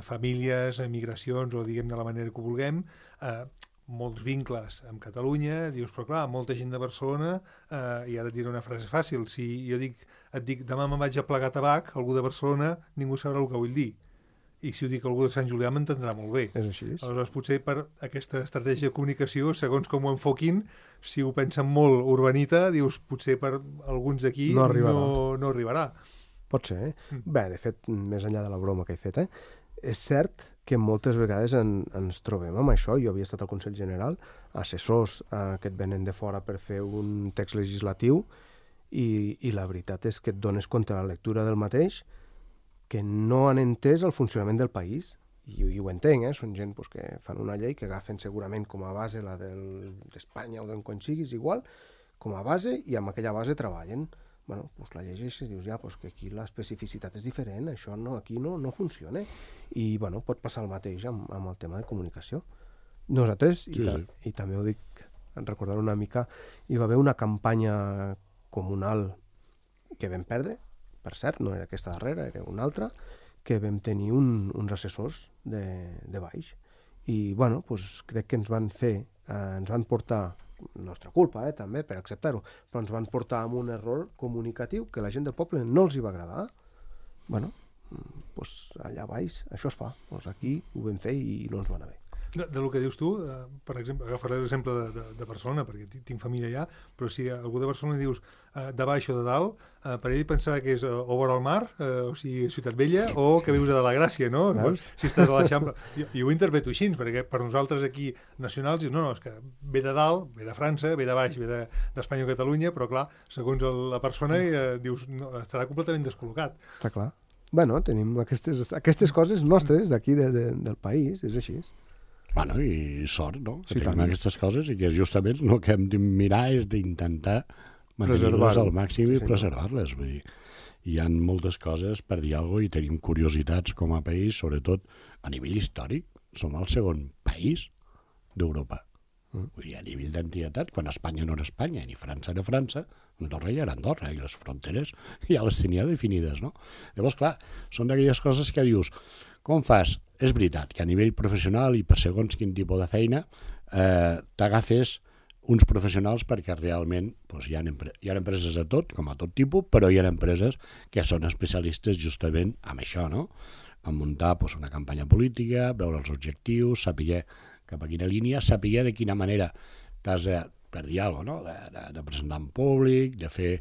famílies, migracions o diguem de la manera que ho vulguem, eh, molts vincles amb Catalunya, dius, però clar, molta gent de Barcelona, eh, i ara et diré una frase fàcil, si jo dic, et dic demà me'n vaig a plegar tabac, algú de Barcelona ningú sabrà el que vull dir. I si ho dic algú de Sant Julià m'entendrà molt bé. És així. Aleshores, potser per aquesta estratègia de comunicació, segons com ho enfoquin, si ho pensen molt urbanita, dius, potser per alguns d'aquí no arribarà. No, no arribarà. Pot ser, eh? Mm. Bé, de fet, més enllà de la broma que he fet, eh? És cert que moltes vegades en, ens trobem amb això. Jo havia estat al Consell General, assessors eh, que et venen de fora per fer un text legislatiu i, i la veritat és que et dones compte a la lectura del mateix que no han entès el funcionament del país, i, i ho entenc, eh? Són gent pues, que fan una llei que agafen segurament com a base la d'Espanya o d'on quan siguis, igual, com a base, i amb aquella base treballen. Bueno, pues la llegeixes i dius, ja, pues que aquí l'especificitat és diferent, això no, aquí no, no funciona. I, bueno, pot passar el mateix amb, amb el tema de comunicació. Nosaltres, i, sí, ta sí. i també ho dic, en recordar una mica, hi va haver una campanya comunal que vam perdre, per cert, no era aquesta darrera, era una altra, que vam tenir un, uns assessors de, de baix. I, bueno, pues, crec que ens van fer, eh, ens van portar, nostra culpa, eh, també, per acceptar-ho, però ens van portar amb un error comunicatiu que la gent del poble no els hi va agradar. Bueno, pues, allà baix això es fa. Pues aquí ho vam fer i no ens va anar bé. De, de lo que dius tu, eh, per exemple, agafaré l'exemple de, de, de Barcelona, perquè tinc família allà, però si algú de Barcelona dius eh, de baix o de dalt, eh, per ell pensarà que és eh, o vora el mar, eh, o sigui, Ciutat Vella, o que vius a de la Gràcia, no? Veus? Si estàs a l'Eixample. Jo, jo ho interpreto així, perquè per nosaltres aquí nacionals, dius, no, no, és que ve de dalt, ve de França, ve de baix, ve d'Espanya de, o Catalunya, però clar, segons el, la persona, eh, dius, no, estarà completament descol·locat. Està clar. Bueno, tenim aquestes, aquestes coses nostres d'aquí de, de, del país, és així. Bueno, i sort, no? Que Sí, tenim tant. aquestes coses i que justament el que hem de mirar és d'intentar mantenir-les Preservar-ho. al màxim Sí, i senyor. preservar-les. Vull dir, hi ha moltes coses per dir alguna cosa i tenim curiositats com a país, sobretot a nivell històric. Som el segon país d'Europa. Mm. Vull dir, a nivell d'antiguitat, quan Espanya no era Espanya ni França era França, Andorra ja era Andorra i les fronteres ja les tenia definides, no? Llavors, clar, són d'aquelles coses que dius, com fas? És veritat que a nivell professional i per segons quin tipus de feina eh, t'agafes uns professionals perquè realment doncs, hi, ha hi ha empreses de tot, com a tot tipus, però hi ha empreses que són especialistes justament en això, no? En muntar doncs, una campanya política, veure els objectius, saber cap a quina línia, saber de quina manera t'has de, per dir alguna cosa, no? de, de, de presentar en públic, de fer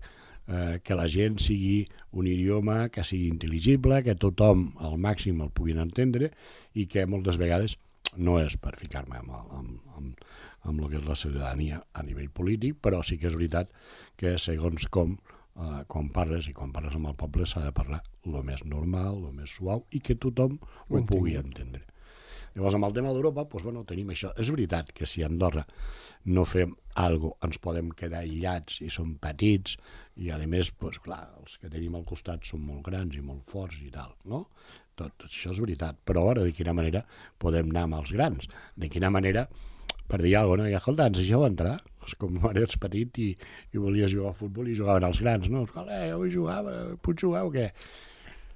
eh, que la gent sigui un idioma que sigui intel·ligible, que tothom al màxim el puguin entendre i que moltes vegades no és per ficar-me amb, amb, amb, amb el que és la ciutadania a nivell polític, però sí que és veritat que segons com, eh, quan parles i quan parles amb el poble s'ha de parlar el més normal, el més suau i que tothom ho pugui entendre. Llavors, amb el tema d'Europa, doncs, bueno, tenim això. És veritat que si a Andorra no fem alguna cosa, ens podem quedar aïllats i som petits, i a més, doncs, clar, els que tenim al costat són molt grans i molt forts i tal, no? Tot això és veritat, però ara de quina manera podem anar amb els grans? De quina manera, per dir alguna cosa, no? I, escolta, ens deixeu entrar? És com quan eres petit i, i volies jugar a futbol i jugaven els grans, no? Escolta, jo vull jugar, puc jugar o què?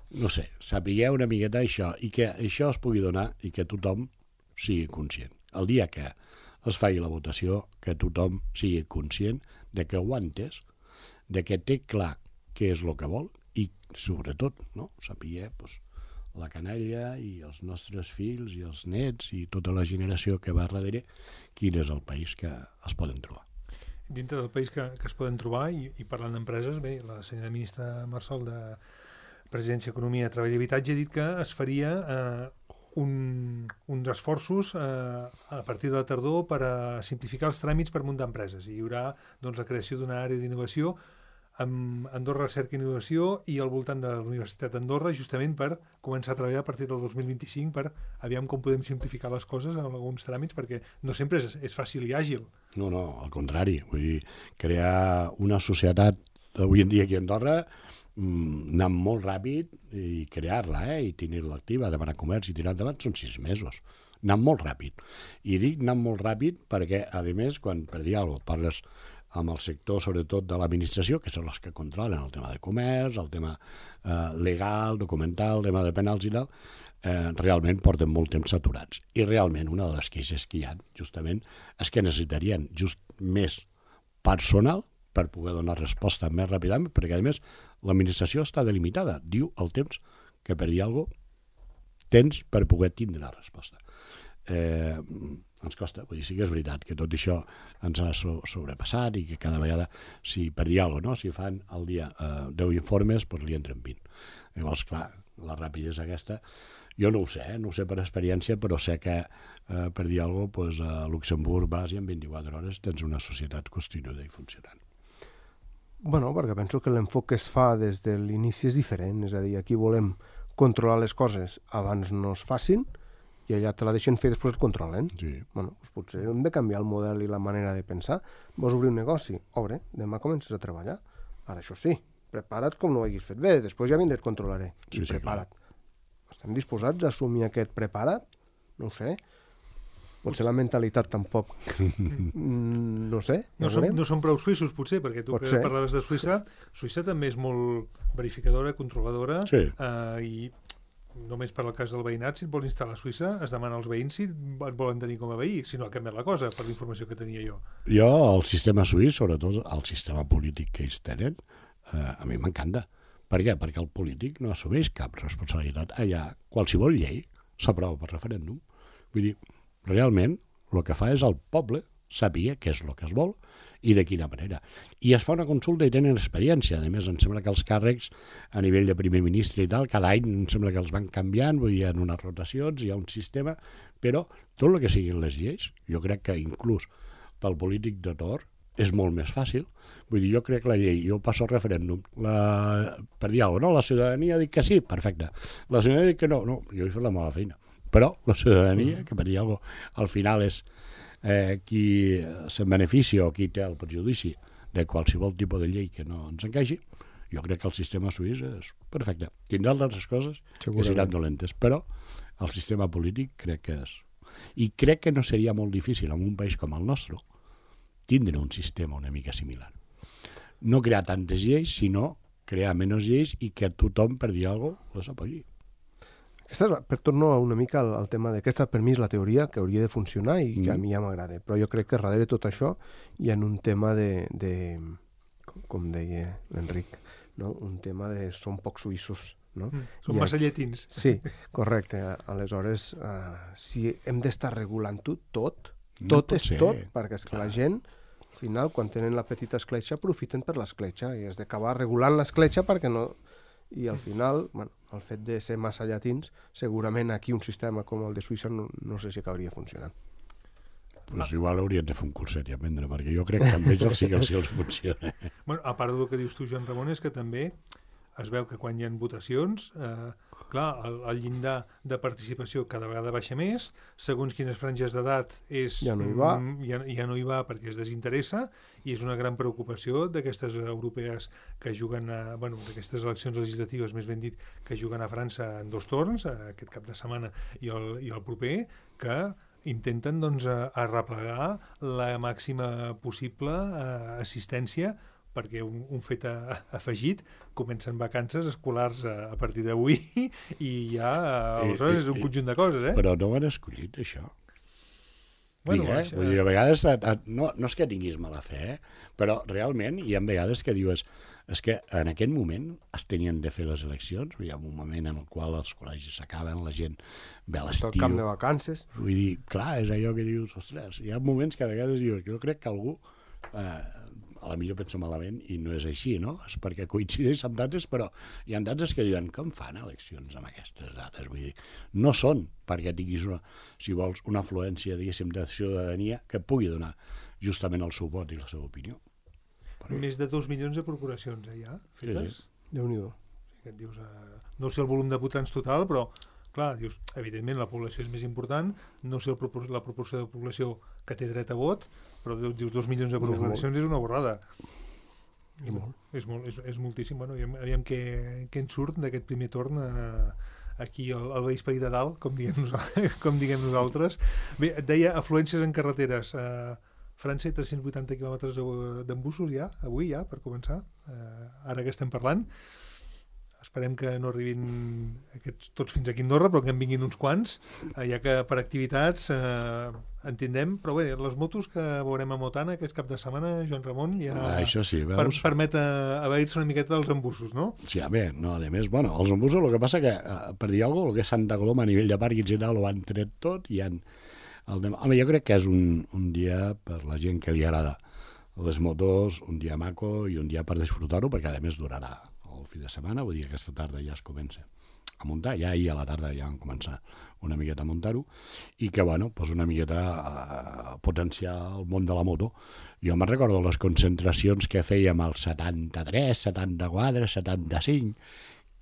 No sé, sapigueu una miqueta això i que això es pugui donar i que tothom sigui conscient. El dia que es faci la votació, que tothom sigui conscient de que ho ha entès, de que té clar què és el que vol i, sobretot, no? Saber pues, la canalla i els nostres fills i els nets i tota la generació que va darrere quin és el país que es poden trobar. Dintre del país que, que es poden trobar i, i parlant d'empreses, bé, la senyora ministra Marsol de Presidència, Economia, Treball i Habitatge ha dit que es faria eh, un, uns esforços eh, a partir de la tardor per a simplificar els tràmits per muntar empreses. I hi haurà doncs, la creació d'una àrea d'innovació amb Andorra Recerca i Innovació i al voltant de la Universitat d'Andorra justament per començar a treballar a partir del dos mil vint-i-cinc per aviam com podem simplificar les coses en alguns tràmits perquè no sempre és, és fàcil i àgil. No, no, al contrari. Vull dir, crear una societat avui en dia aquí a Andorra anar molt ràpid i crear-la, eh? I tenir-la activa, demanar comerç i tirar endavant són sis mesos. anant molt ràpid. I dic anant molt ràpid perquè, a més, quan per dir alguna cosa, parles amb el sector, sobretot, de l'administració, que són els que controlen el tema de comerç, el tema eh, legal, documental, el tema de penals i tal, eh, realment porten molt temps saturats. I realment una de les queixes que hi ha, justament, és que necessitarien just més personal per poder donar resposta més ràpidament, perquè, a més, l'administració està delimitada. Diu el temps que, per dir alguna cosa, tens per poder tindre la resposta. Eh, ens costa, vull dir, sí que és veritat que tot això ens ha so sobrepassat i que cada vegada, si per dir alguna cosa, no? Si fan al dia eh, deu informes, doncs li entren vint. Llavors, clar, la rapidesa aquesta, jo no ho sé, eh? no ho sé per experiència, però sé que, eh, per dir alguna cosa, doncs, a Luxemburg vas i en vint-i-quatre hores tens una societat constituïda i funcionant. Bueno, perquè penso que l'enfoc que es fa des de l'inici és diferent, és a dir, aquí volem controlar les coses abans no es facin i allà te la deixen fer i després et controlen. Sí. Bueno, doncs potser hem de canviar el model i la manera de pensar. Vols obrir un negoci? Obre, demà comences a treballar. Ara, això sí, prepara't com no ho haguis fet bé, després ja vindré et controlaré. Sí, I sí, prepara't. Clar. Estem disposats a assumir aquest prepara't? No ho sé. Potser la mentalitat tampoc, no sé. No som, no som prou suïssos, potser, perquè tu Pot que ser. parlaves de Suïssa, Suïssa també és molt verificadora, controladora, Sí. eh, i només per al cas del veïnat, si et vols instal·lar a Suïssa, es demana als veïns si et volen tenir com a veí, si no ha canviat la cosa, per la informació que tenia jo. Jo, el sistema suís, sobretot el sistema polític que ells tenen, eh, a mi m'encanta. Per què? Perquè el polític no assumeix cap responsabilitat. Allà, qualsevol llei s'aprova per referèndum. Vull dir, realment, el que fa és el poble sàpiga què és el que es vol i de quina manera. I es fa una consulta i tenen experiència. A més, em sembla que els càrrecs a nivell de primer ministre i tal, cada any em sembla que els van canviant, vull dir, hi ha unes rotacions, hi ha un sistema, però tot el que siguin les lleis, jo crec que inclús pel polític de torn és molt més fàcil. Vull dir, jo crec que la llei, jo passo al referèndum, la, per dir alguna cosa, no? La ciutadania dic que sí, perfecte. La ciutadania dic que no, no, jo he fet la meva feina. Però la ciutadania, que per dir alguna cosa, al final és eh, qui se'n beneficia o qui té el perjudici de qualsevol tipus de llei que no ens encaixi, jo crec que el sistema suís és perfecte. Tindrà altres coses que seran dolentes, però el sistema polític crec que és... I crec que no seria molt difícil en un país com el nostre tindre un sistema una mica similar. No crear tantes lleis, sinó crear menys lleis i que tothom, per dir alguna cosa, les apoyi. Aquesta és, per torno una mica al, al tema d'aquesta, per mi és la teoria que hauria de funcionar i que Mm. a mi ja m'agrada, però jo crec que darrere tot això hi ha un tema de, de com, com deia l'Enric, no? Un tema de som poc suïssos, no? Mm. Som I massa aquí- llatins. Sí, correcte. Aleshores, uh, si hem d'estar regulant-ho tot, No tot pot és ser, tot, perquè és que clar. la gent, al final, quan tenen la petita escletxa, aprofiten per l'escletxa i has d'acabar regulant l'escletxa perquè no... I al final, bueno, el fet de ser massa llatins, segurament aquí un sistema com el de Suïssa no, no sé si acabaria funcionant. Pues igual haurien de fer un curset i aprendre, perquè jo crec que amb ells sí que els, els funciona. Bueno, a part del que dius tu, Joan Ramon, és que també es veu que quan hi ha votacions, eh, clar, el, el llindar de participació cada vegada baixa més, segons quines franges d'edat és... Ja no hi va. mm, Ja, ja no hi va perquè es desinteressa, i és una gran preocupació d'aquestes europees que juguen a... Bueno, d'aquestes eleccions legislatives, més ben dit, que juguen a França en dos torns, aquest cap de setmana i el, i el proper, que intenten doncs, a- arreplegar la màxima possible eh, assistència, perquè un, un fet a, afegit, comencen vacances escolars a, a partir d'avui i ja, aleshores, és un conjunt de coses, eh? Però no ho han escollit, això. Bueno, Dic, eh? això- Vull dir, a vegades, a, a, no, no és que tinguis mala fe, eh? Però realment hi ha vegades que dius és que en aquest moment es tenien de fer les eleccions, hi ha un moment en el qual els col·legis s'acaben, la gent ve a Tot l'estiu. camp de vacances. Vull dir, clar, és allò que dius, ostres, hi ha moments que a vegades dius, jo crec que algú eh, a la millor penso malament i no és així, no? És perquè coincideix amb dates, però hi ha dates que diuen com fan eleccions amb aquestes dates? Vull dir, no són perquè tinguis, una, si vols, una afluència, diguéssim, de ciutadania que pugui donar justament el seu vot i la seva opinió. Més de dos milions de procuracions, eh, ja, fetes. Sí, sí. Déu-n'hi-do. Que et dius, eh, no sé el volum de votants total, però clar, dius, evidentment la població és més important, no sé el propor la proporció de població que té dret a vot, però dius dos milions de procuracions és una borrada. I molt. És, molt, és, és moltíssim. Bueno, aviam, aviam què, què en surt d'aquest primer torn a, aquí el, el vespre de dalt, com diguem, nosaltres, com diguem nosaltres. Bé, et deia afluències en carreteres. Uh, França, tres-cents vuitanta quilòmetres d'embussos ja, avui ja, per començar, uh, ara que estem parlant. Esperem que no arribin aquests tots fins aquí a Andorra, però que en vinguin uns quants, eh, ja que per activitats eh, entendem, però bé, les motos que veurem a Motana aquest cap de setmana, Joan Ramon, ja ah, això sí, veus? Per, permet abair-se una miqueta dels embussos, no? Sí, a bé, no, a més, bueno, els embussos, el que passa que, eh, per dir alguna cosa, el que és Santa Coloma a nivell de pàrquings i tal, ho han tret tot i han... El de... Home, jo crec que és un, un dia per la gent que li agrada les motos, un dia maco i un dia per disfrutar-ho, perquè a més durarà el fi de setmana, vull dir que aquesta tarda ja es comença a muntar, ja ahir a la tarda ja van començar una miqueta a muntar-ho, i que, bueno, pues una miqueta a potenciar el món de la moto. Jo me'n recordo les concentracions que fèiem als setanta-tres, setanta-quatre, setanta-cinc,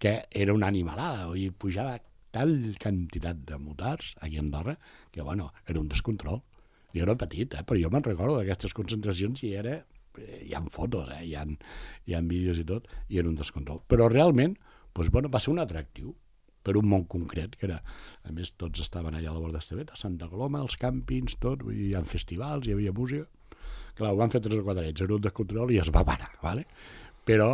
que era una animalada, i pujava tal quantitat de motars aquí a Andorra, que, bueno, era un descontrol. Jo era petit, eh? Però jo me'n recordo d'aquestes concentracions i era... hi ha fotos, eh? hi, ha, hi ha vídeos i tot, i era un descontrol. Però realment, doncs, bueno, va ser un atractiu per un món concret, que era, a més, tots estaven allà a la Borda Estevet, a Santa Coloma, els càmpings, tot, vull dir, hi ha festivals, hi havia música. Clar, ho van fer tres o quatre anys, era un descontrol i es va parar, ¿vale? Però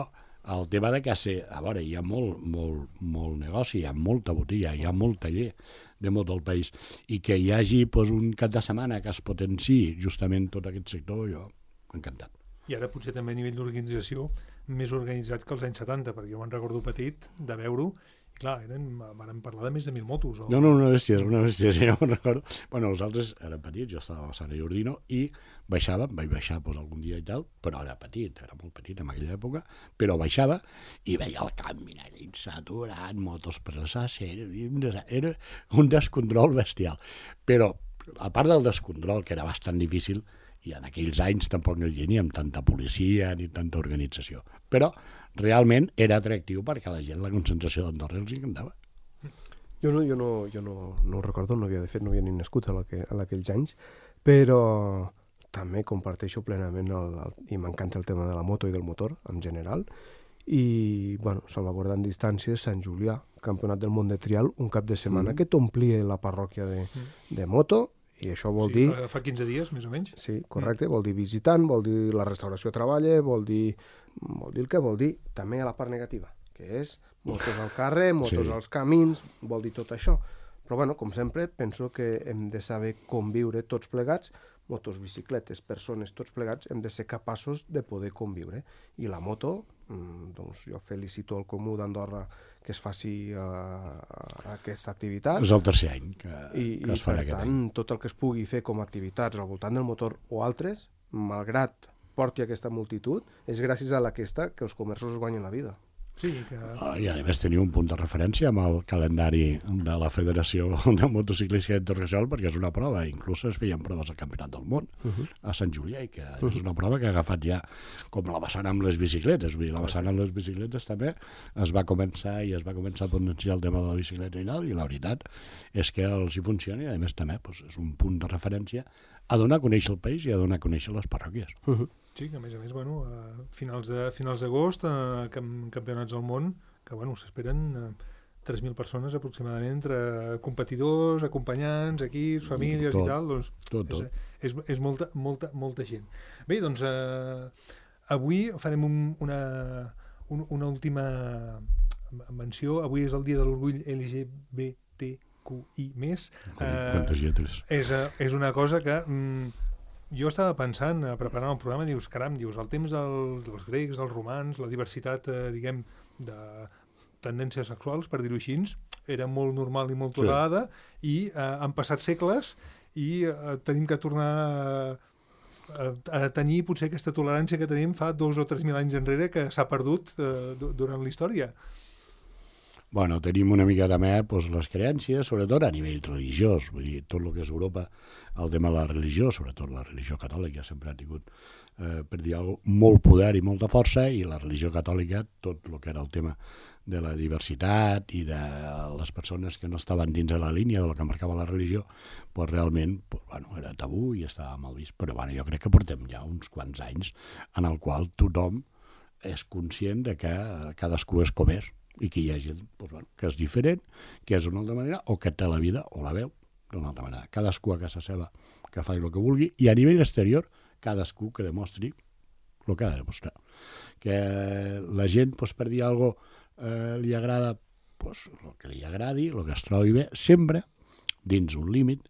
el tema de que ser, a veure, hi ha molt, molt, molt negoci, hi ha molta botiga, hi ha molt taller de moto al país, i que hi hagi doncs, un cap de setmana que es potenciï justament tot aquest sector, jo encantat. I ara potser també a nivell d'organització més organitzat que els anys setanta, perquè jo me'n recordo petit de veure-ho, i clar, eren, van parlar de més de mil motos. O... No, no, una bèstia, una bèstia, sí, jo me'n recordo. Bueno, nosaltres érem petits, jo estava a Sant Jordino, i baixàvem, vaig baixar pues, algun dia i tal, però era petit, era molt petit en aquella època, però baixava i veia el camp minerit saturat, motos per les aceres, era, era un descontrol bestial. Però, a part del descontrol, que era bastant difícil, i en aquells anys tampoc no hi havia ni amb tanta policia ni tanta organització. Però realment era atractiu perquè a la gent la concentració d'Andorra els encantava. Jo no, jo no, jo no, no ho recordo, no havia de fet, no havia ni nascut en aquells anys, però també comparteixo plenament el, el, i m'encanta el tema de la moto i del motor en general. I, bueno, salvaguardant distàncies, Sant Julià, Campionat del Món de Trial, un cap de setmana mm. que t'omplia la parròquia de, de moto. I això vol sí, dir... Fa, fa quinze dies, més o menys. Sí, correcte, mm. vol dir visitant, vol dir la restauració treballa, vol dir, vol dir el que vol dir també a la part negativa, que és motos al carrer, motos sí. als camins, vol dir tot això. Però, bueno, com sempre, penso que hem de saber conviure tots plegats, motos, bicicletes, persones, tots plegats, hem de ser capaços de poder conviure. I la moto, doncs jo felicito el Comú d'Andorra que es faci uh, aquesta activitat. És el tercer any que, I, que es farà aquest any. I, per tant, tot el que es pugui fer com a activitats al voltant del motor o altres, malgrat porti aquesta multitud, és gràcies a aquesta que els comerços es guanyen la vida. Sí, que... I a més tenia un punt de referència amb el calendari de la Federació de Motociclisme Internacional, perquè és una prova, inclús es feien proves al Campionat del Món uh -huh. a Sant Julià, i que uh -huh. és una prova que ha agafat ja com la vessant amb les bicicletes, vull dir, la vessant amb les bicicletes també es va començar i es va començar a potenciar el tema de la bicicleta i tal, i la veritat és que els hi funciona, i a més també doncs, és un punt de referència a donar a conèixer el país i a donar a conèixer les parròquies. Uh -huh. Sí, que a més a més, bueno, a finals de finals d'agost, a campionats del món, que bueno, s'esperen tres mil persones aproximadament, entre competidors, acompanyants, equips, famílies tot, i tal, doncs tot, tot. És, és, és molta, molta, molta gent. Bé, doncs eh, avui farem un, una, un, una última menció. Avui és el dia de l'orgull L G B T Q I més. Quantes lletres? És, és una cosa que... Mm, jo estava pensant, eh, preparant el programa, dius, caram, dius, el temps del, dels grecs, dels romans, la diversitat, eh, diguem, de tendències sexuals, per dir-ho així, era molt normal i molt tolerada, sí. i eh, han passat segles i eh, tenim que tornar a, a tenir potser aquesta tolerància que tenim fa dos o tres mil anys enrere, que s'ha perdut eh, durant la història. Bueno, tenim una mica també doncs, les creences, sobretot a nivell religiós, vull dir, tot el que és Europa, el tema de la religió, sobretot la religió catòlica, sempre ha tingut, eh, per dir alguna cosa, molt poder i molta força, i la religió catòlica, tot el que era el tema de la diversitat i de les persones que no estaven dins de la línia del que marcava la religió, doncs realment doncs, bueno, era tabú i estava mal vist. Però bueno, jo crec que portem ja uns quants anys en el qual tothom és conscient de que cadascú és com és, i que hi ha gent doncs, bueno, que és diferent, que és d'una altra manera, o que té la vida o la veu d'una altra manera. Cadascú a casa seva que faci el que vulgui, i a nivell exterior, cadascú que demostri el que ha de demostrar. Que la gent, doncs, per dir alguna cosa, eh, li agrada pues, el que li agradi, el que es trobi bé, sempre dins un límit,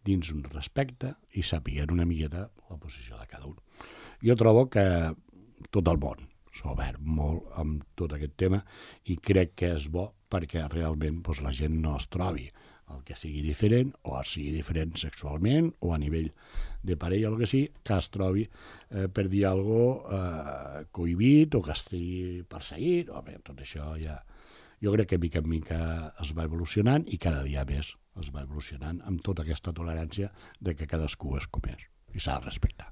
dins un respecte, i sapiguent una miqueta la posició de cada un. Jo trobo que tot el món s'ha obert molt amb tot aquest tema i crec que és bo perquè realment pues, la gent no es trobi el que sigui diferent, o sigui diferent sexualment, o a nivell de parella o el que sigui, que es trobi eh, per dir alguna cosa eh, cohibit, o que estigui perseguit, o bé, tot això ja... Jo crec que mica en mica es va evolucionant i cada dia més es va evolucionant amb tota aquesta tolerància de que cadascú és com és i s'ha de respectar.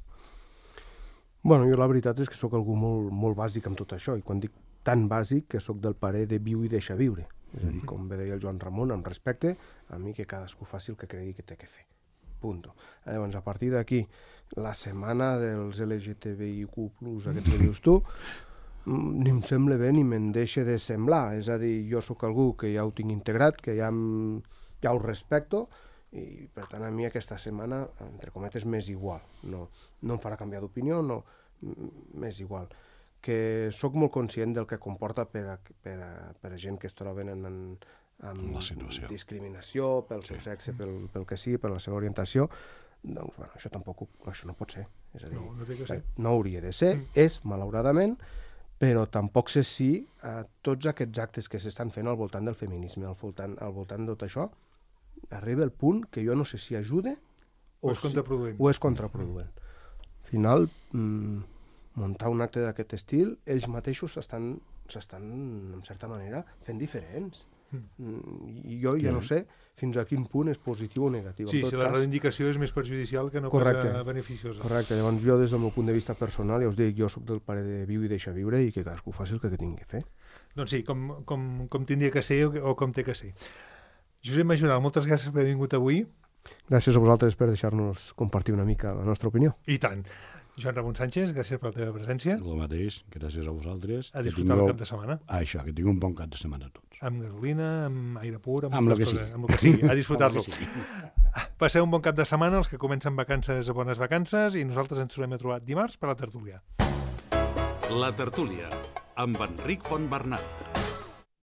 Bueno, jo la veritat és que sóc algú molt, molt bàsic amb tot això, i quan dic tan bàsic que sóc del parer de viu i deixa viure. És a dir, com bé deia el Joan Ramon, amb respecte, a mi que cadascú faci el que cregui que té que fer. Punto. Llavors, a partir d'aquí, la setmana dels L G T B I Q plus, aquests que dius tu, ni em sembla bé ni me'n deixa de semblar. És a dir, jo sóc algú que ja ho tinc integrat, que ja, em, ja ho respecto, i per tant a mi aquesta setmana, entre cometes, m'és igual. No, no em farà canviar d'opinió, no, m'és igual. Que sóc molt conscient del que comporta per a, per a, per a gent que es troben en, en, amb discriminació pel seu sexe, pel, pel que sigui, per la seva orientació. Doncs, bueno, això tampoc, això no pot ser. És a dir, no, no, té que ser. No hauria de ser, mm. és, malauradament, però tampoc sé si eh, tots aquests actes que s'estan fent al voltant del feminisme, al voltant, al voltant de tot això, arriba el punt que jo no sé si ajuda o, o és contraproduent. Si, o és contraproduent. Al final, mmm, muntar un acte d'aquest estil, ells mateixos s'estan, s'estan, en certa manera, fent diferents. Mm. I jo ja no sé fins a quin punt és positiu o negatiu. Sí, si la cas... reivindicació és més perjudicial que no Correcte. Cosa beneficiosa. Correcte, llavors jo des del meu punt de vista personal, ja us dic, jo soc del pare de viu i deixa viure i que cadascú faci el que tingui que fer. Doncs sí, com, com, com tindria que ser o, o com té que ser. Josep Majoral, moltes gràcies per haver vingut avui. Gràcies a vosaltres per deixar-nos compartir una mica la nostra opinió. I tant. Joan Ramon Sánchez, gràcies per la teva presència. El mateix, gràcies a vosaltres. A disfrutar tingueu... el cap de setmana. Ah, això, que tingueu un bon cap de setmana a tots. Amb gasolina, amb aire pur, amb, amb, el que, coses, sigui. amb el que sigui. A disfrutar-lo. Passeu un bon cap de setmana, els que comencen vacances a bones vacances, i nosaltres ens tornem a trobar dimarts per la tertúlia. La tertúlia, amb Enric Fontbernat.